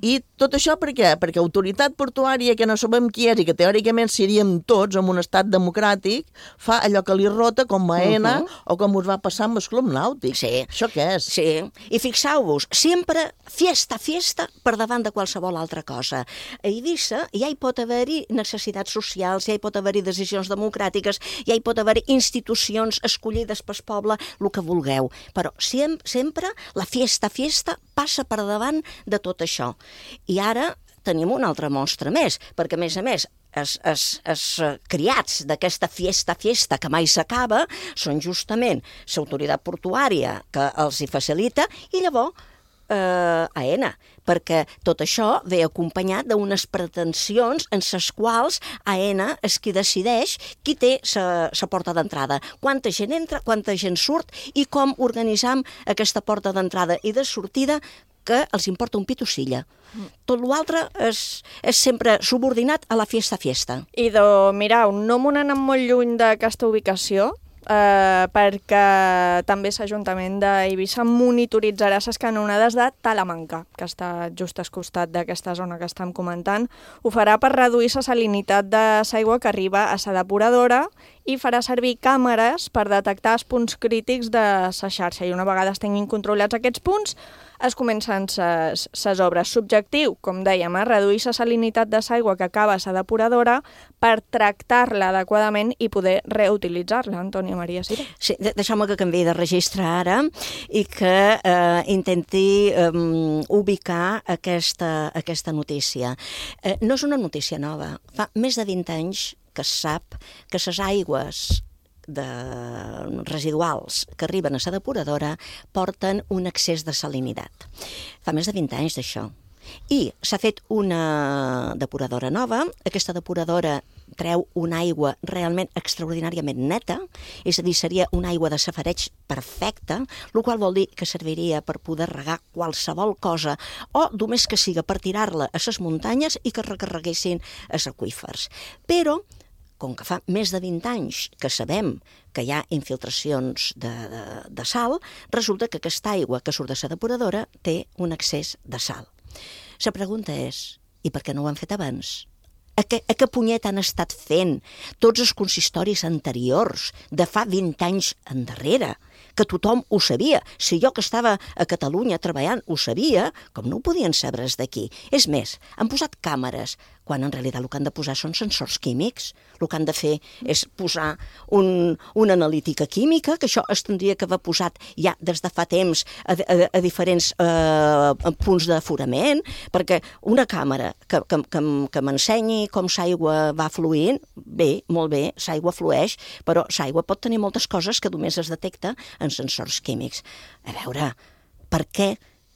I tot això per què? Perquè autoritat portuària, que no sabem qui és i que teòricament seríem tots en un estat democràtic, fa allò que li rota com a Aena uh -huh. o com us va passar amb el club nàutic. Sí. Això què és? Sí, i fixeu-vos, sempre fiesta, fiesta per davant de qualsevol altra cosa. A Eivissa ja hi pot haver-hi necessitats socials, ja hi pot haver-hi decisions democràtiques, ja hi pot haver-hi institucions escollides pel poble, el que vulgueu. Però sem sempre la fiesta, fiesta passa per davant de tot això. I ara tenim una altra mostra més, perquè, a més a més, els, els, els criats d'aquesta fiesta, fiesta, que mai s'acaba, són justament l'autoritat portuària que els hi facilita, i llavors eh, Aena, perquè tot això ve acompanyat d'unes pretensions en les quals Aena és qui decideix qui té la porta d'entrada, quanta gent entra, quanta gent surt i com organitzam aquesta porta d'entrada i de sortida que els importa un pito silla. Tot l'altre és, és sempre subordinat a la fiesta-fiesta. Idò, mireu, no m'ho anat molt lluny d'aquesta ubicació, eh, perquè també l'Ajuntament d'Eivissa monitoritzarà les canonades de Talamanca, que està just al costat d'aquesta zona que estem comentant. Ho farà per reduir la salinitat de l'aigua que arriba a la depuradora i farà servir càmeres per detectar els punts crítics de la xarxa. I una vegada es tinguin controlats aquests punts, es comencen les obres. Subjectiu, com dèiem, eh, reduir la salinitat de l'aigua que acaba a la depuradora per tractar-la adequadament i poder reutilitzar-la. Antònia Maria Sira. Sí, deixeu-me que canviï de registre ara i que eh, intenti eh, ubicar aquesta, aquesta notícia. Eh, no és una notícia nova. Fa més de vint anys que es sap que les aigües de residuals que arriben a la depuradora porten un excés de salinitat. Fa més de vint anys d'això. I s'ha fet una depuradora nova. Aquesta depuradora treu una aigua realment extraordinàriament neta, és a dir, seria una aigua de safareig perfecta, el qual vol dir que serviria per poder regar qualsevol cosa o només que siga per tirar-la a les muntanyes i que recarreguessin els aqüífers. Però com que fa més de vint anys que sabem que hi ha infiltracions de, de, de sal, resulta que aquesta aigua que surt de la depuradora té un excés de sal. La pregunta és, i per què no ho han fet abans? A què, a què punyet han estat fent tots els consistoris anteriors de fa vint anys endarrere? Que tothom ho sabia. Si jo que estava a Catalunya treballant ho sabia, com no ho podien saber d'aquí. És més, han posat càmeres quan en realitat el que han de posar són sensors químics. El que han de fer és posar un, una analítica química, que això es tindria que haver posat ja des de fa temps a, a, a diferents eh, punts d'aforament, perquè una càmera que, que, que, que m'ensenyi com l'aigua va fluint, bé, molt bé, l'aigua flueix, però l'aigua pot tenir moltes coses que només es detecta en sensors químics. A veure, per què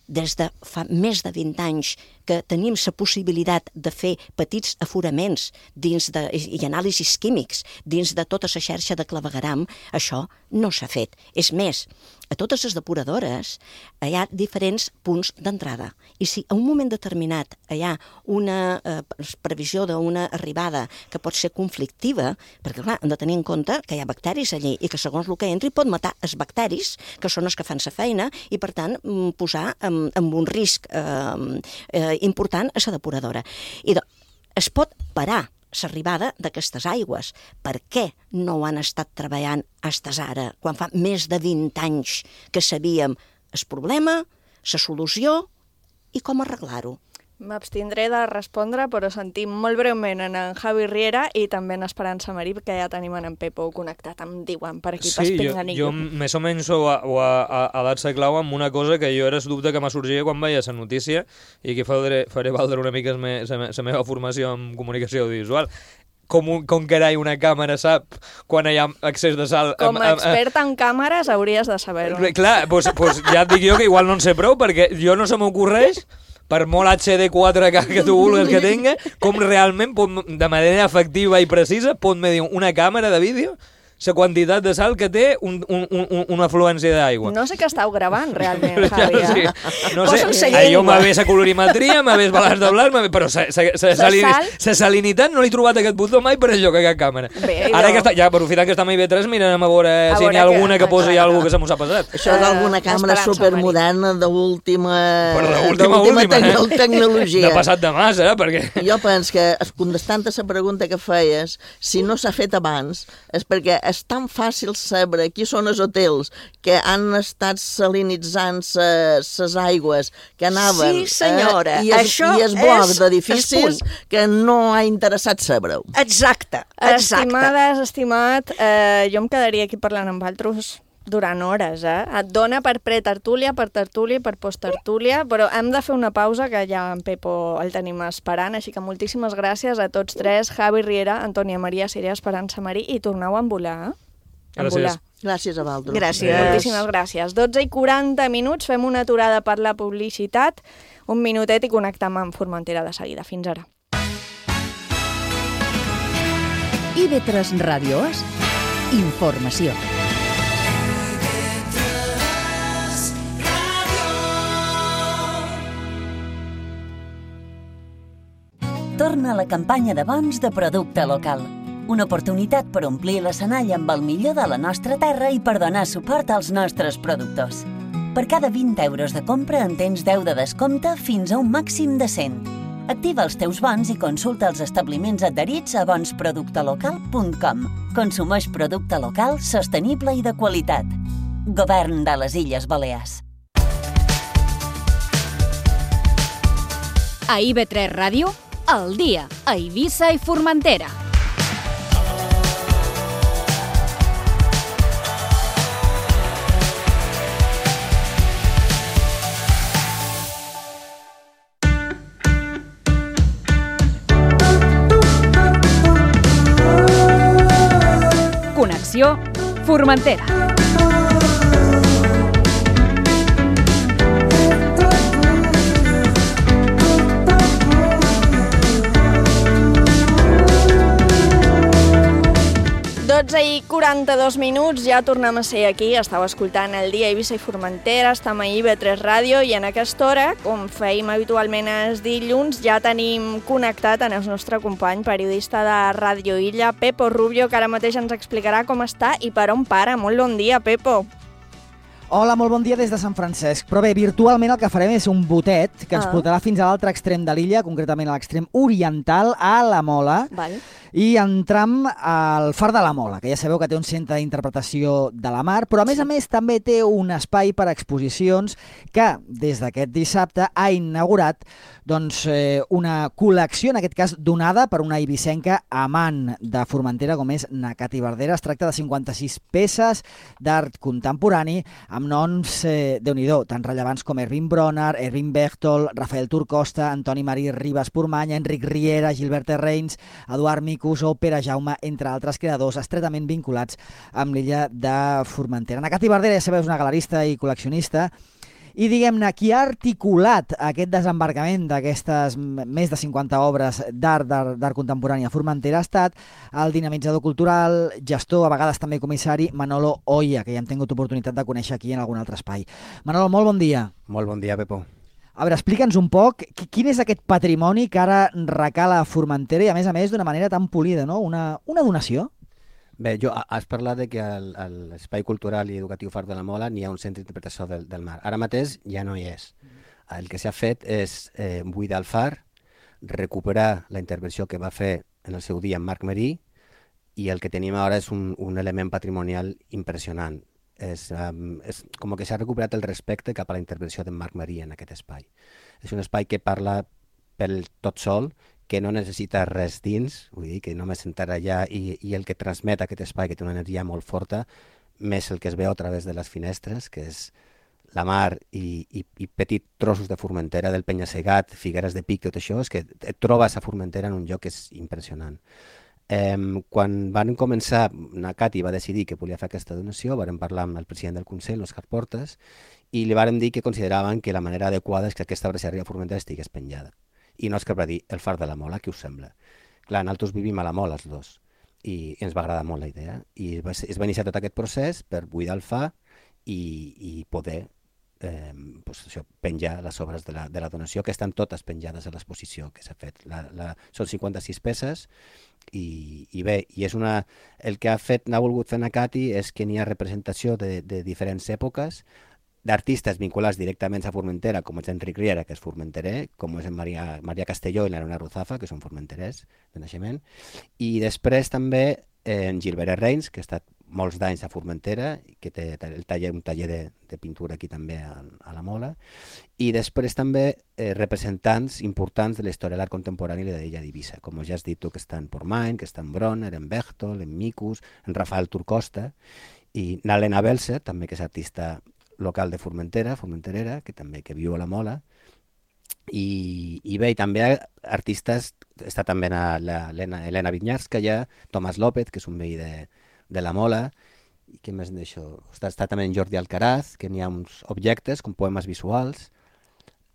des de fa més de vint anys que tenim la possibilitat de fer petits aforaments dins de, i anàlisis químics dins de tota la xarxa de clavegueram, això no s'ha fet. És més, a totes les depuradores hi ha diferents punts d'entrada. I si a un moment determinat hi ha una eh, previsió d'una arribada que pot ser conflictiva, perquè clar, hem de tenir en compte que hi ha bacteris allí i que segons el que entri pot matar els bacteris, que són els que fan la feina, i per tant posar en, en un risc eh, eh, important a la depuradora. I do, es pot parar l'arribada d'aquestes aigües. Per què no ho han estat treballant fins ara, quan fa més de vint anys que sabíem el problema, la solució i com arreglar-ho? M'abstindré de respondre, però sentim molt breument en en Javi Riera i també en Esperança Marí, que ja tenim en Pepo connectat, em diuen, per aquí, sí, per Pinganillo. Jo, jo més o menys ho, ho ha, ha dat-se clau amb una cosa que jo era el dubte que m'ha sorgit quan veia la notícia i que faré, faré valdre una mica la meva formació en comunicació audiovisual. Com, un, com carai una càmera sap quan hi ha excés de sal... Com a expert en càmeres hauries de saber-ho. Clar, doncs, doncs ja et dic jo que igual no en sé prou, perquè jo no se m'ocorreix, per molt H D quatre K que tu vulguis que tenga, com realment, pot, de manera efectiva i precisa, pot medir una càmera de vídeo la quantitat de sal que té un, un, un, una afluència d'aigua. No sé què estàu gravant, realment, Javi. Ja, eh? sí. No sé, jo m'ha la colorimetria, m'ha vist balanç de blanc, però la salinitat no l'he trobat aquest botó mai per enlloc a cap càmera. Bé, ara que està, ja aprofitant que està amb I B tres, mirem a veure a si n'hi ha alguna que, que posi alguna que se m'ho ha passat. Això d'alguna càmera supermoderna d'última tecnologia. tecnologia. No ha passat de massa, eh? Perquè... Jo penso que, contestant a la pregunta que feies, si no s'ha fet abans, és perquè és tan fàcil saber qui són els hotels que han estat salinitzant les aigües que anaven... Sí, senyora. Eh, I es, això i es bloc és d'edificis que no ha interessat saber-ho. Exacte, exacte. Estimades, estimat, eh, jo em quedaria aquí parlant amb altres durant hores, eh? Et dona per pretertúlia, per tertúlia, per posttertúlia, però hem de fer una pausa, que ja en Pepo el tenim esperant, així que moltíssimes gràcies a tots tres, Javi Riera, Antònia Maria Siré, Esperança Marí, i torneu a envolar, eh? Gràcies. Gràcies a vosaltres. Gràcies. Moltíssimes gràcies. dotze i quaranta minuts, fem una aturada per la publicitat, un minutet i connectem amb Formentera de seguida. Fins ara. I B tres Ràdio Os, informació. Torna a la campanya de bons de producte local. Una oportunitat per omplir l'escenari amb el millor de la nostra terra i per donar suport als nostres productors. Per cada vint euros de compra en tens deu de descompte fins a un màxim de cent. Activa els teus bons i consulta els establiments adherits a bons producte local punt com. Consumeix producte local, sostenible i de qualitat. Govern de les Illes Balears. A I B tres Ràdio, al dia, a Eivissa i Formentera. Connexió Formentera. dotze i quaranta-dos minuts, ja tornem a ser aquí, estàu escoltant el dia a Eivissa i Formentera, estem a I B tres Ràdio i en aquesta hora, com feim habitualment els dilluns, ja tenim connectat en el nostre company periodista de Ràdio Illa, Pepo Rubio, que ara mateix ens explicarà com està i per on para. Molt bon dia, Pepo. Hola, molt bon dia des de Sant Francesc. Però bé, virtualment el que farem és un botet que ens Ah. portarà fins a l'altre extrem de l'illa, concretament a l'extrem oriental, a la Mola, Val. i entram al Far de la Mola, que ja sabeu que té un centre d'interpretació de la mar, però a més a més també té un espai per a exposicions que des d'aquest dissabte ha inaugurat doncs, eh, una col·lecció, en aquest cas donada per una eivissenca amant de Formentera com és Nakati Verdera. Es tracta de cinquanta-sis peces d'art contemporani amb noms, eh, déu-n'hi-do, tan rellevants com Erwin Bronner, Erwin Bechtold, Rafael Turcosta, Antoni Marí Ribas Pormanya, Enric Riera, Gilbert Reins, Eduard Micus o Pere Jaume, entre altres creadors estretament vinculats amb l'illa de Formentera. Nakati Verdera, ja sabeu, és una galerista i col·leccionista, i diguem-ne, qui ha articulat aquest desembarcament d'aquestes més de cinquanta obres d'art d'art contemporani a Formentera ha estat el dinamitzador cultural, gestor, a vegades també comissari, Manolo Oia, que ja hem tingut oportunitat de conèixer aquí en algun altre espai. Manolo, molt bon dia. Molt bon dia, Pepo. A veure, explica'ns un poc quin és aquest patrimoni que ara recala a Formentera i, a més a més, d'una manera tan polida, no? Una, una donació? Bé, jo, has parlat de que a l'Espai Cultural i Educatiu Far de la Mola n'hi ha un centre d'interpretació del, del mar. Ara mateix ja no hi és. El que s'ha fet és eh, buidar el far, recuperar la intervenció que va fer en el seu dia en Marc Marí, i el que tenim ara és un, un element patrimonial impressionant. És, um, és com que s'ha recuperat el respecte cap a la intervenció d'en Marc Marí en aquest espai. És un espai que parla pel tot sol, que no necessita res dins, vull dir que només sentar allà i, i el que transmet aquest espai, que té una energia molt forta, més el que es veu a través de les finestres, que és la mar i, i, i petits trossos de Formentera, del Penya-segat, Figueres de Pic, tot això, és que et trobes a Formentera en un lloc que és impressionant. Eh, quan van començar, Nakati va decidir que volia fer aquesta donació, varen parlar amb el president del Consell, Òscar Portas, i li varen dir que consideraven que la manera adequada és que aquesta braceria de Formentera estigués penjada. I no és que va dir el Far de la Mola, què us sembla? Clar, nosaltres vivim a la Mola, els dos, i ens va agradar molt la idea. I es va iniciar tot aquest procés per buidar el far i, i poder eh, pues això, penjar les obres de la, de la donació, que estan totes penjades a l'exposició que s'ha fet. La, la, són cinquanta-sis peces i, i bé, i és una, el que ha fet, n'ha volgut fer Nakati és que n'hi ha representació de, de diferents èpoques, d'artistes vinculats directament a Formentera, com és Enric Riera, que és formenterer, com és en Maria, Maria Castelló i l'Arona Ruzafa, que són formenterers de naixement, i després també eh, en Gilbert Reins, que ha estat molts d'anys a Formentera, que té el taller, un taller de, de pintura aquí també a, a la Mola, i després també eh, representants importants de la història de l'art contemporani de l'illa d'Eivissa, com ja has dit tu, que està en Pormany, que està en Bronner, en Bechtold, en Micus, en Rafael Turcosta, i Nalena Belser, també, que és artista local de Formentera, formenterera, que també que viu a la Mola, i, i bé, i també artistes, està també l'Helena Vinyarskaya, Tomàs López, que és un veí de, de la Mola, i què més d'això? Està, està també en Jordi Alcaraz, que n'hi ha uns objectes com poemes visuals,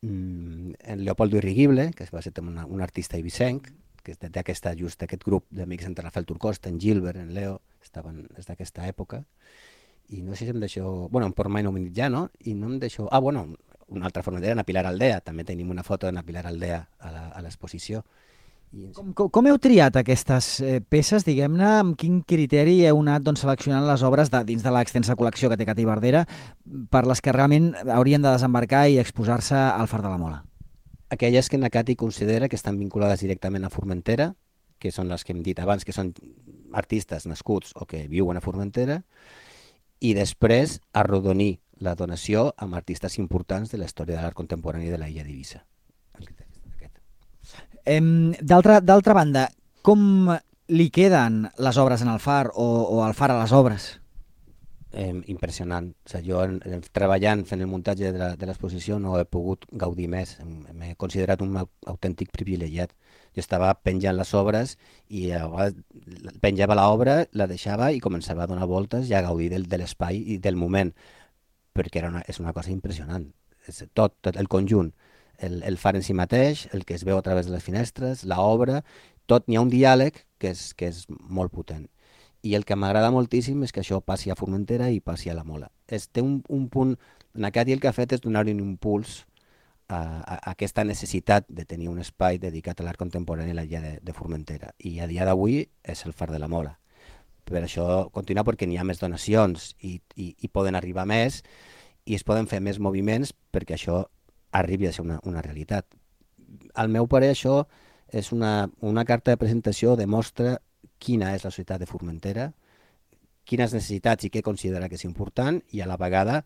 mm, en Leopoldo Irrigible, que va ser una, un artista eivissenc, que és d'aquesta just d'aquest grup d'amics entre Rafael Turcosta, en Gilbert, en Leo, estaven des d'aquesta època. I no sé si em deixo... Bueno, en Portmany no m'he dit ja, no? I no em deixo... Ah, bueno, una altra formentera, na Pilar Aldea. També tenim una foto de na Pilar Aldea a l'exposició. Com, com, com heu triat aquestes eh, peces, diguem-ne? Amb quin criteri heu anat doncs, seleccionant les obres de, dins de l'extensa col·lecció que té Nakati Verdera per les que realment haurien de desembarcar i exposar-se al Far de la Mola? Aquelles que Nakati considera que estan vinculades directament a Formentera, que són les que hem dit abans, que són artistes nascuts o que viuen a Formentera, i després arrodonir la donació amb artistes importants de la història de l'art contemporani de la illa d'Eivissa. D'altra banda, com li queden les obres en el Far o, o el Far a les obres? Eh, impressionant. O sigui, jo en, en, treballant fent el muntatge de l'exposició no he pogut gaudir més. M'he considerat un autèntic privilegiat. Jo estava penjant les obres i penjava l'obra, la deixava i començava a donar voltes i a gaudir del, de l'espai i del moment, perquè era una, és una cosa impressionant. És tot, tot el conjunt, el, el far en si mateix, el que es veu a través de les finestres, l'obra, tot, n'hi ha un diàleg que és, que és molt potent. I el que m'agrada moltíssim és que això passi a Formentera i passi a la Mola. Es, té un, un punt, Nakati el que ha fet és donar-hi un impuls a, a, a aquesta necessitat de tenir un espai dedicat a l'art contemporani a l'illa de, de Formentera. I a dia d'avui és el Far de la Mola. Per això continua perquè n'hi ha més donacions i, i, i poden arribar més i es poden fer més moviments perquè això arribi a ser una, una realitat. Al meu parer, això és una, una carta de presentació, demostra quina és la societat de Formentera, quines necessitats i què considera que és important i a la vegada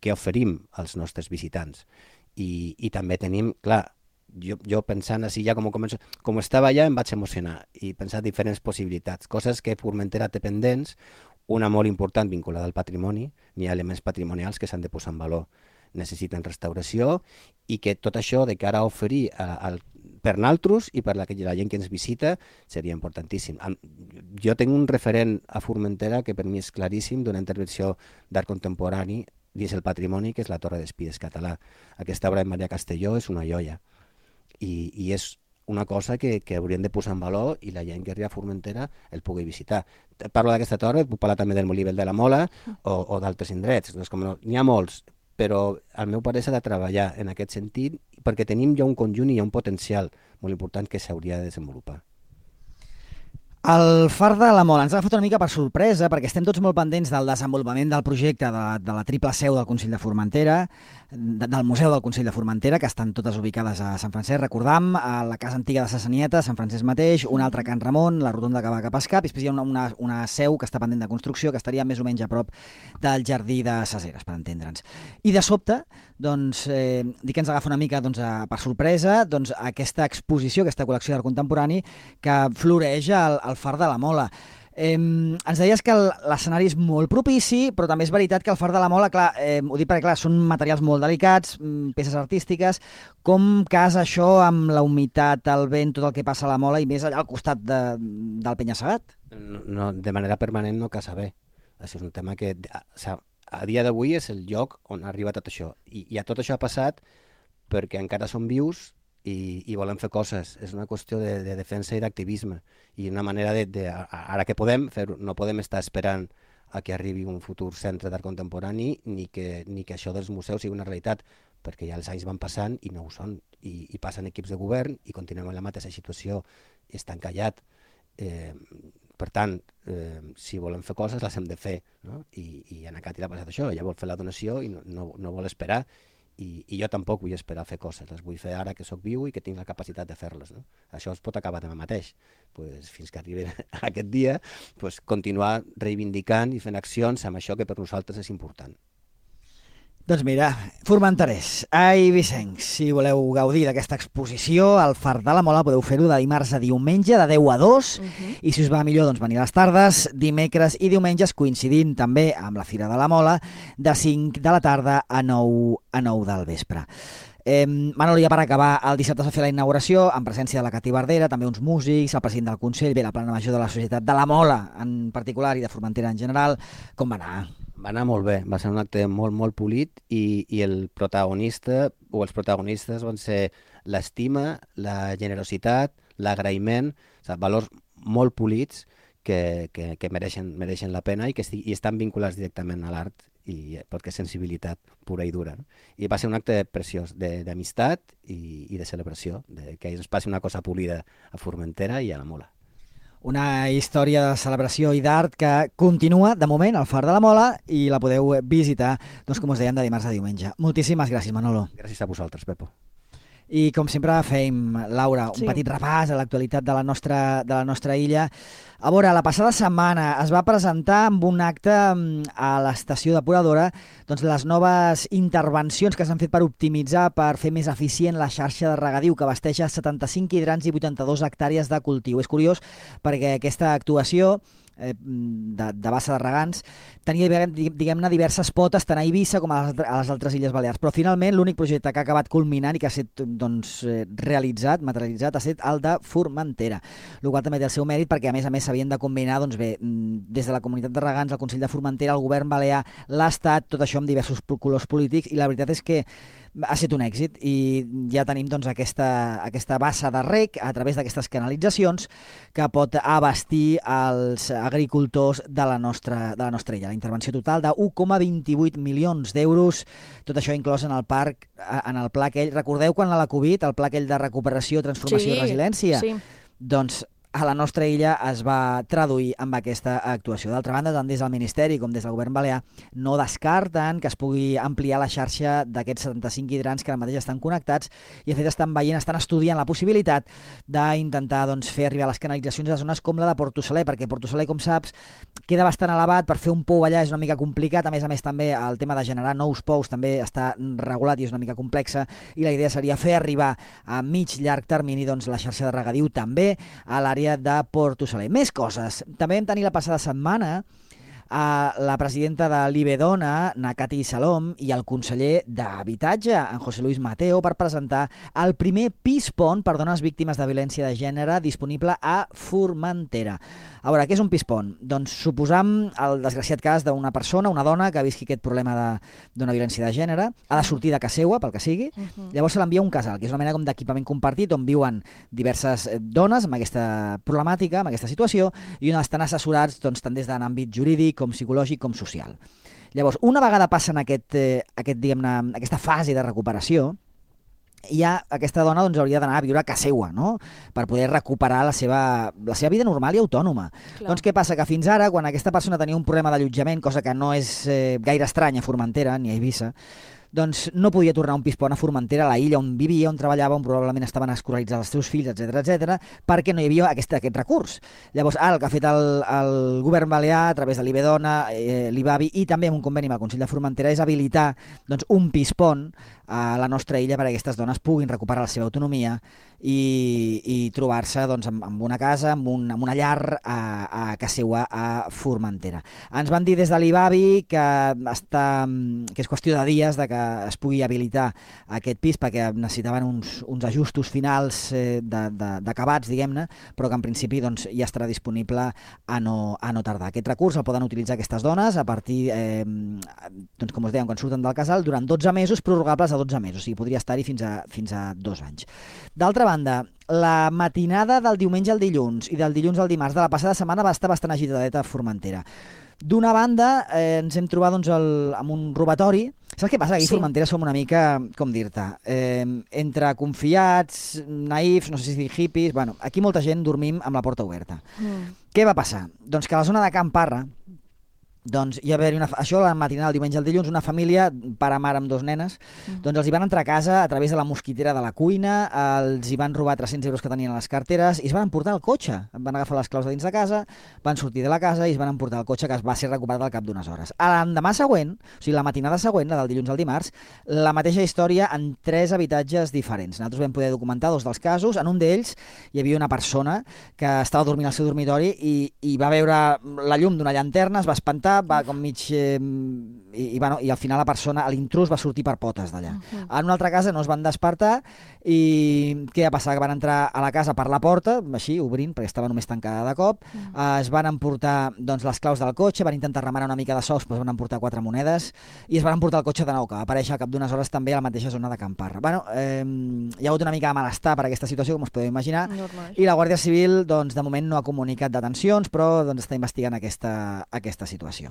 què oferim als nostres visitants. I, i també tenim, clar, jo, jo pensant així ja com, començo, com estava allà em vaig emocionar i pensar diferents possibilitats, coses que Formentera té pendents, una molt important vinculada al patrimoni, n'hi ha elements patrimonials que s'han de posar en valor, necessiten restauració i que tot això de cara a oferir a, a, per naltros i per la, la gent que ens visita seria importantíssim. Jo tinc un referent a Formentera que per mi és claríssim d'una intervenció d'art contemporani dins el patrimoni, que és la Torre d'Espies català. Aquesta obra de Maria Castelló és una joia i, i és una cosa que, que hauríem de posar en valor i la gent que arriba a Formentera el pugui visitar. Parlo d'aquesta torre, puc parlar també del Molí Vell de la Mola o, o d'altres indrets. Doncs com no, n'hi ha molts, però al meu parer s'ha de treballar en aquest sentit perquè tenim ja un conjunt i hi ha un potencial molt important que s'hauria de desenvolupar. El Far de la Mola ens ha agafat una mica per sorpresa perquè estem tots molt pendents del desenvolupament del projecte de, de la triple seu del Consell de Formentera, de, del Museu del Consell de Formentera, que estan totes ubicades a Sant Francesc, recordam, a la Casa Antiga de Sassanieta, Sant Francesc mateix, una altra a Can Ramon, la Rotonda que va cap a Escap, i després hi ha una, una, una seu que està pendent de construcció, que estaria més o menys a prop del Jardí de Saseres, per entendre'ns. I de sobte, doncs, eh, dic que ens agafa una mica doncs, a, per sorpresa doncs, aquesta exposició, aquesta col·lecció d'art contemporani que floreix al, al Far de la Mola. Eh, ens deies que l'escenari és molt propici, però també és veritat que el Far de la Mola, clar, eh, ho dic perquè clar, són materials molt delicats, peces artístiques. Com casa això amb la humitat, el vent, tot el que passa a la Mola i més allà al costat de, del penya-segat? No, no, de manera permanent no casa bé. Això és un tema que a, a dia d'avui és el lloc on arriba tot això. I, i tot això ha passat perquè encara som vius i, i volem fer coses. És una qüestió de, de defensa i d'activisme. I una manera de, de ara que podem fer, no podem estar esperant a que arribi un futur centre d'art contemporani ni que, ni que això dels museus sigui una realitat, perquè ja els anys van passant i no ho són. I, i passen equips de govern i continuem en la mateixa situació, està encallat. Eh, per tant, eh, si volem fer coses les hem de fer, no? I, i en Cati l'ha passat això, ella vol fer la donació i no, no, no vol esperar. I, i jo tampoc vull esperar a fer coses, les vull fer ara que sóc viu i que tinc la capacitat de fer-les. No? Això es pot acabar demà mateix. Pues, fins que arribi aquest dia, pues, continuar reivindicant i fent accions amb això que per nosaltres és important. Doncs mira, formenterers, ai Vicenç, si voleu gaudir d'aquesta exposició al Far de la Mola podeu fer-ho de dimarts a diumenge, de deu a dos, uh-huh. I si us va millor doncs venir a les tardes, dimecres i diumenges, coincidint també amb la Fira de la Mola, de cinc de la tarda a nou, a nou del vespre. Eh, Manolo, ja per acabar, el dissabte es va fer la inauguració en presència de la Cati Bardera, també uns músics, el president del Consell, bé, la plana major de la Societat de la Mola en particular i de Formentera en general. Com va anar? Va anar molt bé, va ser un acte molt, molt polit i, i el protagonista o els protagonistes van ser l'estima, la generositat, l'agraïment, o sigui, valors molt polits que, que, que mereixen, mereixen la pena i que estig, i estan vinculats directament a l'art i perquè és sensibilitat pura i dura. No? I va ser un acte preciós d'amistat i, i de celebració, de que es passi una cosa polida a Formentera i a la Mola. Una història de celebració i d'art que continua, de moment, al Far de la Mola i la podeu visitar, doncs, com us dèiem, de dimarts a diumenge. Moltíssimes gràcies, Manolo. Gràcies a vosaltres, Pepo. I com sempre fem, Laura, un Sí. petit repàs a l'actualitat de la nostra, de la nostra illa. A veure, la passada setmana es va presentar amb un acte a l'estació depuradora doncs, les noves intervencions que s'han fet per optimitzar, per fer més eficient la xarxa de regadiu que abasteja setanta-cinc hidrants i vuitanta-dues hectàrees de cultiu. És curiós perquè aquesta actuació eh, de, de bassa de regants tenia, diguem-ne, diverses potes tant a Eivissa com a les, a les altres Illes Balears, però finalment l'únic projecte que ha acabat culminant i que ha estat doncs, realitzat, materialitzat, ha estat el de Formentera, el qual també té el seu mèrit perquè a més a més s'havien de combinar doncs bé, des de la comunitat de regants, el Consell de Formentera, el govern balear, l'Estat, tot això amb diversos colors polítics, i la veritat és que ha estat un èxit i ja tenim doncs, aquesta, aquesta bassa de rec a través d'aquestes canalitzacions que pot abastir els agricultors de la nostra, de la nostra illa. La intervenció total de un coma vint-i-vuit milions d'euros, tot això inclòs en el parc, en el pla aquell. Recordeu quan a la Covid, el pla aquell de recuperació, transformació Sí, i resiliència? sí. Doncs a la nostra illa es va traduir amb aquesta actuació. D'altra banda, tant des del Ministeri com des del Govern Balear no descarten que es pugui ampliar la xarxa d'aquests setanta-cinc hidrants que ara mateix estan connectats i, de fet, estan veient, estan estudiant la possibilitat d'intentar doncs, fer arribar les canalitzacions a zones com la de Portosaler, perquè Portosaler, com saps, queda bastant elevat, per fer un pou allà és una mica complicat, a més a més també el tema de generar nous pous també està regulat i és una mica complexa, i la idea seria fer arribar a mig llarg termini doncs, la xarxa de regadiu també a l'àrea de Portosaler. Més coses. També vam tenir la passada setmana a la presidenta de l'Ibedona, Nakati Salom, i el conseller d'Habitatge, en José Luis Mateo, per presentar el primer pis pont per dones víctimes de violència de gènere disponible a Formentera. A veure, què és un pis pont? Doncs suposam el desgraciat cas d'una persona, una dona, que visqui aquest problema d'una violència de gènere, ha de sortir de casa seva, pel que sigui, uh-huh. Llavors se l'envia a un casal, que és una mena com d'equipament compartit on viuen diverses dones amb aquesta problemàtica, amb aquesta situació, i on estan assessorats doncs, tant des de l'àmbit jurídic com psicològic com social. Llavors, una vegada passen aquest, eh, aquest, diguem-ne, aquesta fase de recuperació, ja aquesta dona doncs, hauria d'anar a viure a casa seva, no? Per poder recuperar la seva, la seva vida normal i autònoma. Clar. Doncs què passa? Que fins ara, quan aquesta persona tenia un problema d'allotjament, cosa que no és eh, gaire estranya a Formentera ni a Eivissa, doncs no podia tornar a un pis pont a Formentera, a la illa on vivia, on treballava, on probablement estaven escolaritzats els seus fills, etcètera, etcètera, perquè no hi havia aquest, aquest recurs. Llavors, ara el que ha fet el, el govern balear, a través de l'Ibedona, eh, l'Ibavi i també amb un conveni amb el Consell de Formentera, és habilitar doncs, un pis pont a la nostra illa perquè aquestes dones puguin recuperar la seva autonomia i, i trobar-se doncs, amb, amb una casa, amb, un, amb una llar a, a casa seva a Formentera. Ens van dir des de l'Ibavi que, està, que és qüestió de dies de que es pugui habilitar aquest pis perquè necessitaven uns, uns ajustos finals eh, d'acabats, diguem-ne, però que en principi doncs, ja estarà disponible a no, a no tardar. Aquest recurs el poden utilitzar aquestes dones a partir, eh, doncs, com us dèiem, quan surten del casal, durant dotze mesos, prorrogables a dotze mesos, o sigui, podria estar-hi fins a, fins a dos anys. D'altra banda, la matinada del diumenge al dilluns i del dilluns al dimarts de la passada setmana va estar bastant agitadeta a Formentera. D'una banda, eh, ens hem trobat doncs, el, amb un robatori. Saps què passa? Aquí a Formentera som una mica, com dir-te, eh, entre confiats, naïfs, no sé si dir hippies... Bueno, aquí molta gent dormim amb la porta oberta. Mm. Què va passar? Doncs que a la zona de Can Parra, doncs hi va haver una, això la matinada del diumenge al dilluns, una família, pare, mare amb dos nenes, mm. doncs els hi van entrar a casa a través de la mosquitera de la cuina, els hi van robar tres-cents euros que tenien a les carteres i es van emportar el cotxe. Van agafar les claus de dins de casa, van sortir de la casa i es van emportar el cotxe, que es va ser recuperat al cap d'unes hores. A l'endemà següent, o sigui, la matinada següent, la del dilluns al dimarts, la mateixa història en tres habitatges diferents. Nosaltres vam poder documentar dos dels casos. En un d'ells hi havia una persona que estava dormint al seu dormitori i, i va veure la llum d'una llanterna, es va espantar, va com mig... Eh, i, i, bueno, i al final la persona, l'intrús va sortir per potes d'allà. Uh-huh. En una altra casa no es van despertar i què va passar? Que van entrar a la casa per la porta, així, obrint, perquè estava només tancada de cop, uh-huh. eh, es van emportar doncs, les claus del cotxe, van intentar remenar una mica de sous, però es van emportar quatre monedes i es van emportar el cotxe de nou, que va aparèixer al cap d'unes hores també a la mateixa zona de Can Parra. Bueno, eh, hi ha hagut una mica de malestar per aquesta situació, com us podeu imaginar, normal. I la Guàrdia Civil, doncs, de moment no ha comunicat detencions, però doncs, està investigant aquesta, aquesta situació.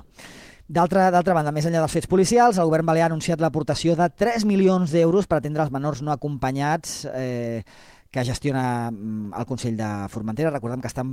D'altra banda, més enllà dels fets policials, el govern balear ha anunciat l'aportació de tres milions d'euros per atendre els menors no acompanyats eh, que gestiona el Consell de Formentera. Recordem que estan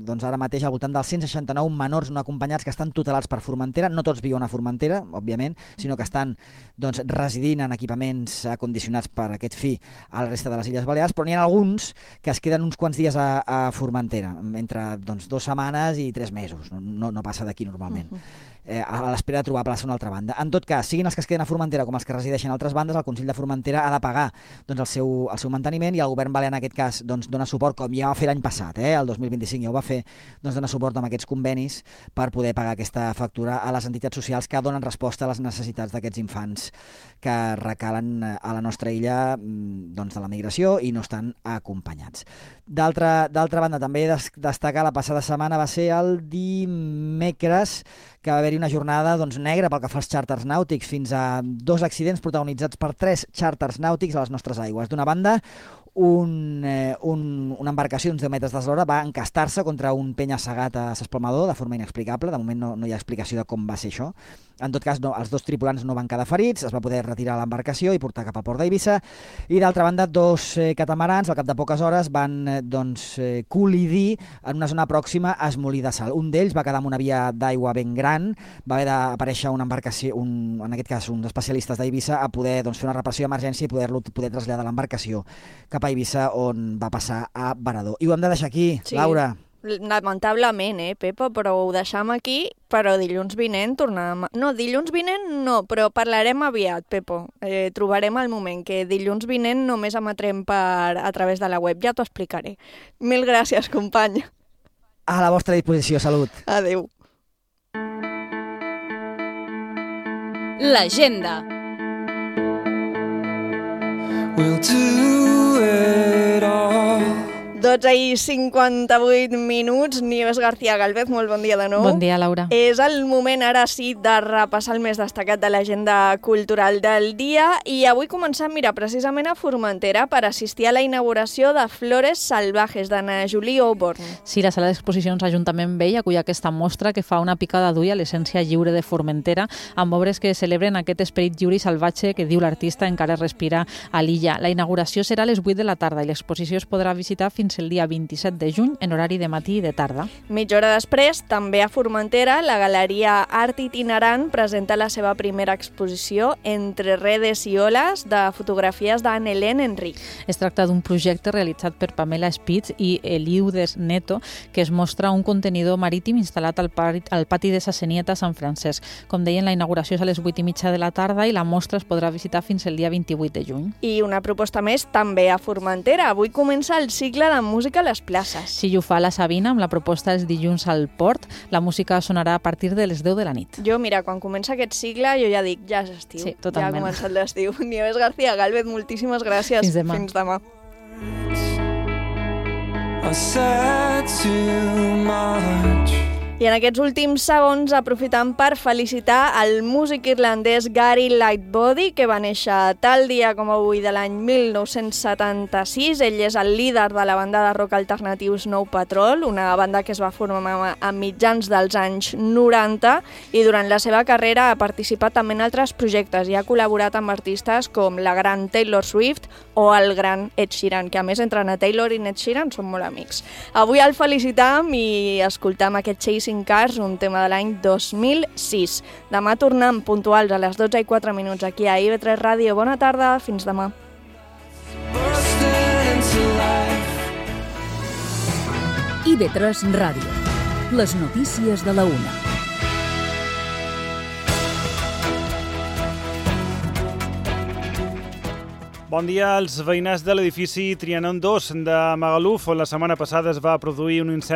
doncs, ara mateix al voltant dels cent seixanta-nou menors no acompanyats que estan tutelats per Formentera. No tots viuen a Formentera, òbviament, sinó que estan doncs, residint en equipaments acondicionats per aquest fi a la resta de les Illes Balears, però n'hi ha alguns que es queden uns quants dies a, a Formentera, entre doncs, dues setmanes i tres mesos. No, no, no passa d'aquí normalment. Uh-huh. Eh, a l'espera de trobar plaça a una altra banda. En tot cas, siguin els que es queden a Formentera com els que resideixen a altres bandes, el Consell de Formentera ha de pagar doncs, el, seu, el seu manteniment i el govern balear en aquest cas doncs, dona suport, com ja va fer l'any passat, eh, el dos mil vint-i-cinc ja ho va fer, doncs, dona suport amb aquests convenis per poder pagar aquesta factura a les entitats socials que donen resposta a les necessitats d'aquests infants que recalen a la nostra illa doncs, de la migració i no estan acompanyats. D'altra banda, també destacar la passada setmana va ser el dimecres que va haver-hi una jornada doncs, negra pel que fa als xàrters nàutics, fins a dos accidents protagonitzats per tres xàrters nàutics a les nostres aigües. D'una banda, un, eh, un, una embarcació d'uns deu metres d'eslora va encastar-se contra un penya-segat a s'esplomador de forma inexplicable. De moment no, no hi ha explicació de com va ser això. En tot cas, no, els dos tripulants no van quedar ferits, es va poder retirar l'embarcació i portar cap al port d'Eivissa. I d'altra banda, dos eh, catamarans, al cap de poques hores, van eh, doncs, eh, col·lidir en una zona pròxima a Esmolí de Sal. Un d'ells va quedar en una via d'aigua ben gran, va haver d'aparèixer una embarcació, un, en aquest cas uns especialistes d'Eivissa, a poder doncs, fer una reparació d'emergència i poder-lo poder traslladar l'embarcació cap a Eivissa, on va passar a Varador. I ho hem de deixar aquí, Sí. Laura. Lamentablement, eh, Pepa, però ho deixam aquí, però dilluns vinent tornarem... No, dilluns vinent no, però parlarem aviat, Pepo. Eh, trobarem el moment que dilluns vinent només emetrem per, a través de la web, ja t'ho explicaré. Mil gràcies, company. A la vostra disposició, salut. Adéu. L'agenda. We'll do it all. dotze i cinquanta-vuit minuts. Nieves García Galvez, molt bon dia de nou. Bon dia, Laura. És el moment, ara sí, de repassar el més destacat de l'agenda cultural del dia. I avui començam, mira, precisament a Formentera per assistir a la inauguració de Flores Salvajes, d'Anna Julie Auborn. Sí, la sala d'exposicions Ajuntament Vell acull aquesta mostra que fa una picada d'ull a l'essència lliure de Formentera, amb obres que celebren aquest esperit lliure i salvatge que diu l'artista encara respira a l'illa. La inauguració serà a les vuit de la tarda i l'exposició es podrà visitar fins el dia vint-i-set de juny en horari de matí i de tarda. Mitja hora després, també a Formentera, la Galeria Art Itinerant presenta la seva primera exposició Entre redes i oles de fotografies d'Anne-Hélène Enric. Es tracta d'un projecte realitzat per Pamela Spitz i Eliudes Neto, que es mostra un contenidor marítim instal·lat al, pari, al pati de Sassenieta a Sant Francesc. Com deien, la inauguració és a les vuit i mitja de la tarda i la mostra es podrà visitar fins el dia vint-i-vuit de juny. I una proposta més també a Formentera. Avui comença el cicle de música a les places. Sí, ho fa la Sabina amb la proposta els dilluns al Port. La música sonarà a partir de les deu de la nit. Jo, mira, quan comença aquest cicle, jo ja dic, ja és estiu. Sí, totalment. Ja ha començat l'estiu. Nieves García Galvez, moltíssimes gràcies. Fins demà. Fins demà. I said too much. I en aquests últims segons aprofitam per felicitar el músic irlandès Gary Lightbody, que va néixer tal dia com avui de l'any mil nou-cents setanta-sis. Ell és el líder de la banda de rock alternatiu Snow Patrol, una banda que es va formar a mitjans dels anys noranta, i durant la seva carrera ha participat també en altres projectes i ha col·laborat amb artistes com la gran Taylor Swift o el gran Ed Sheeran, que a més entre Anna Taylor i Ed Sheeran són molt amics. Avui el felicitam i escoltam aquest Chasing Cars, un tema de l'any dos mil sis. Demà tornem puntuals a les dotze i quatre minuts aquí a I V tres Ràdio. Bona tarda, fins demà. I V tres Ràdio. Les notícies de la una. Bon dia als veïnats de l'edifici Trianon dos de Magaluf, on la setmana passada es va produir un incendi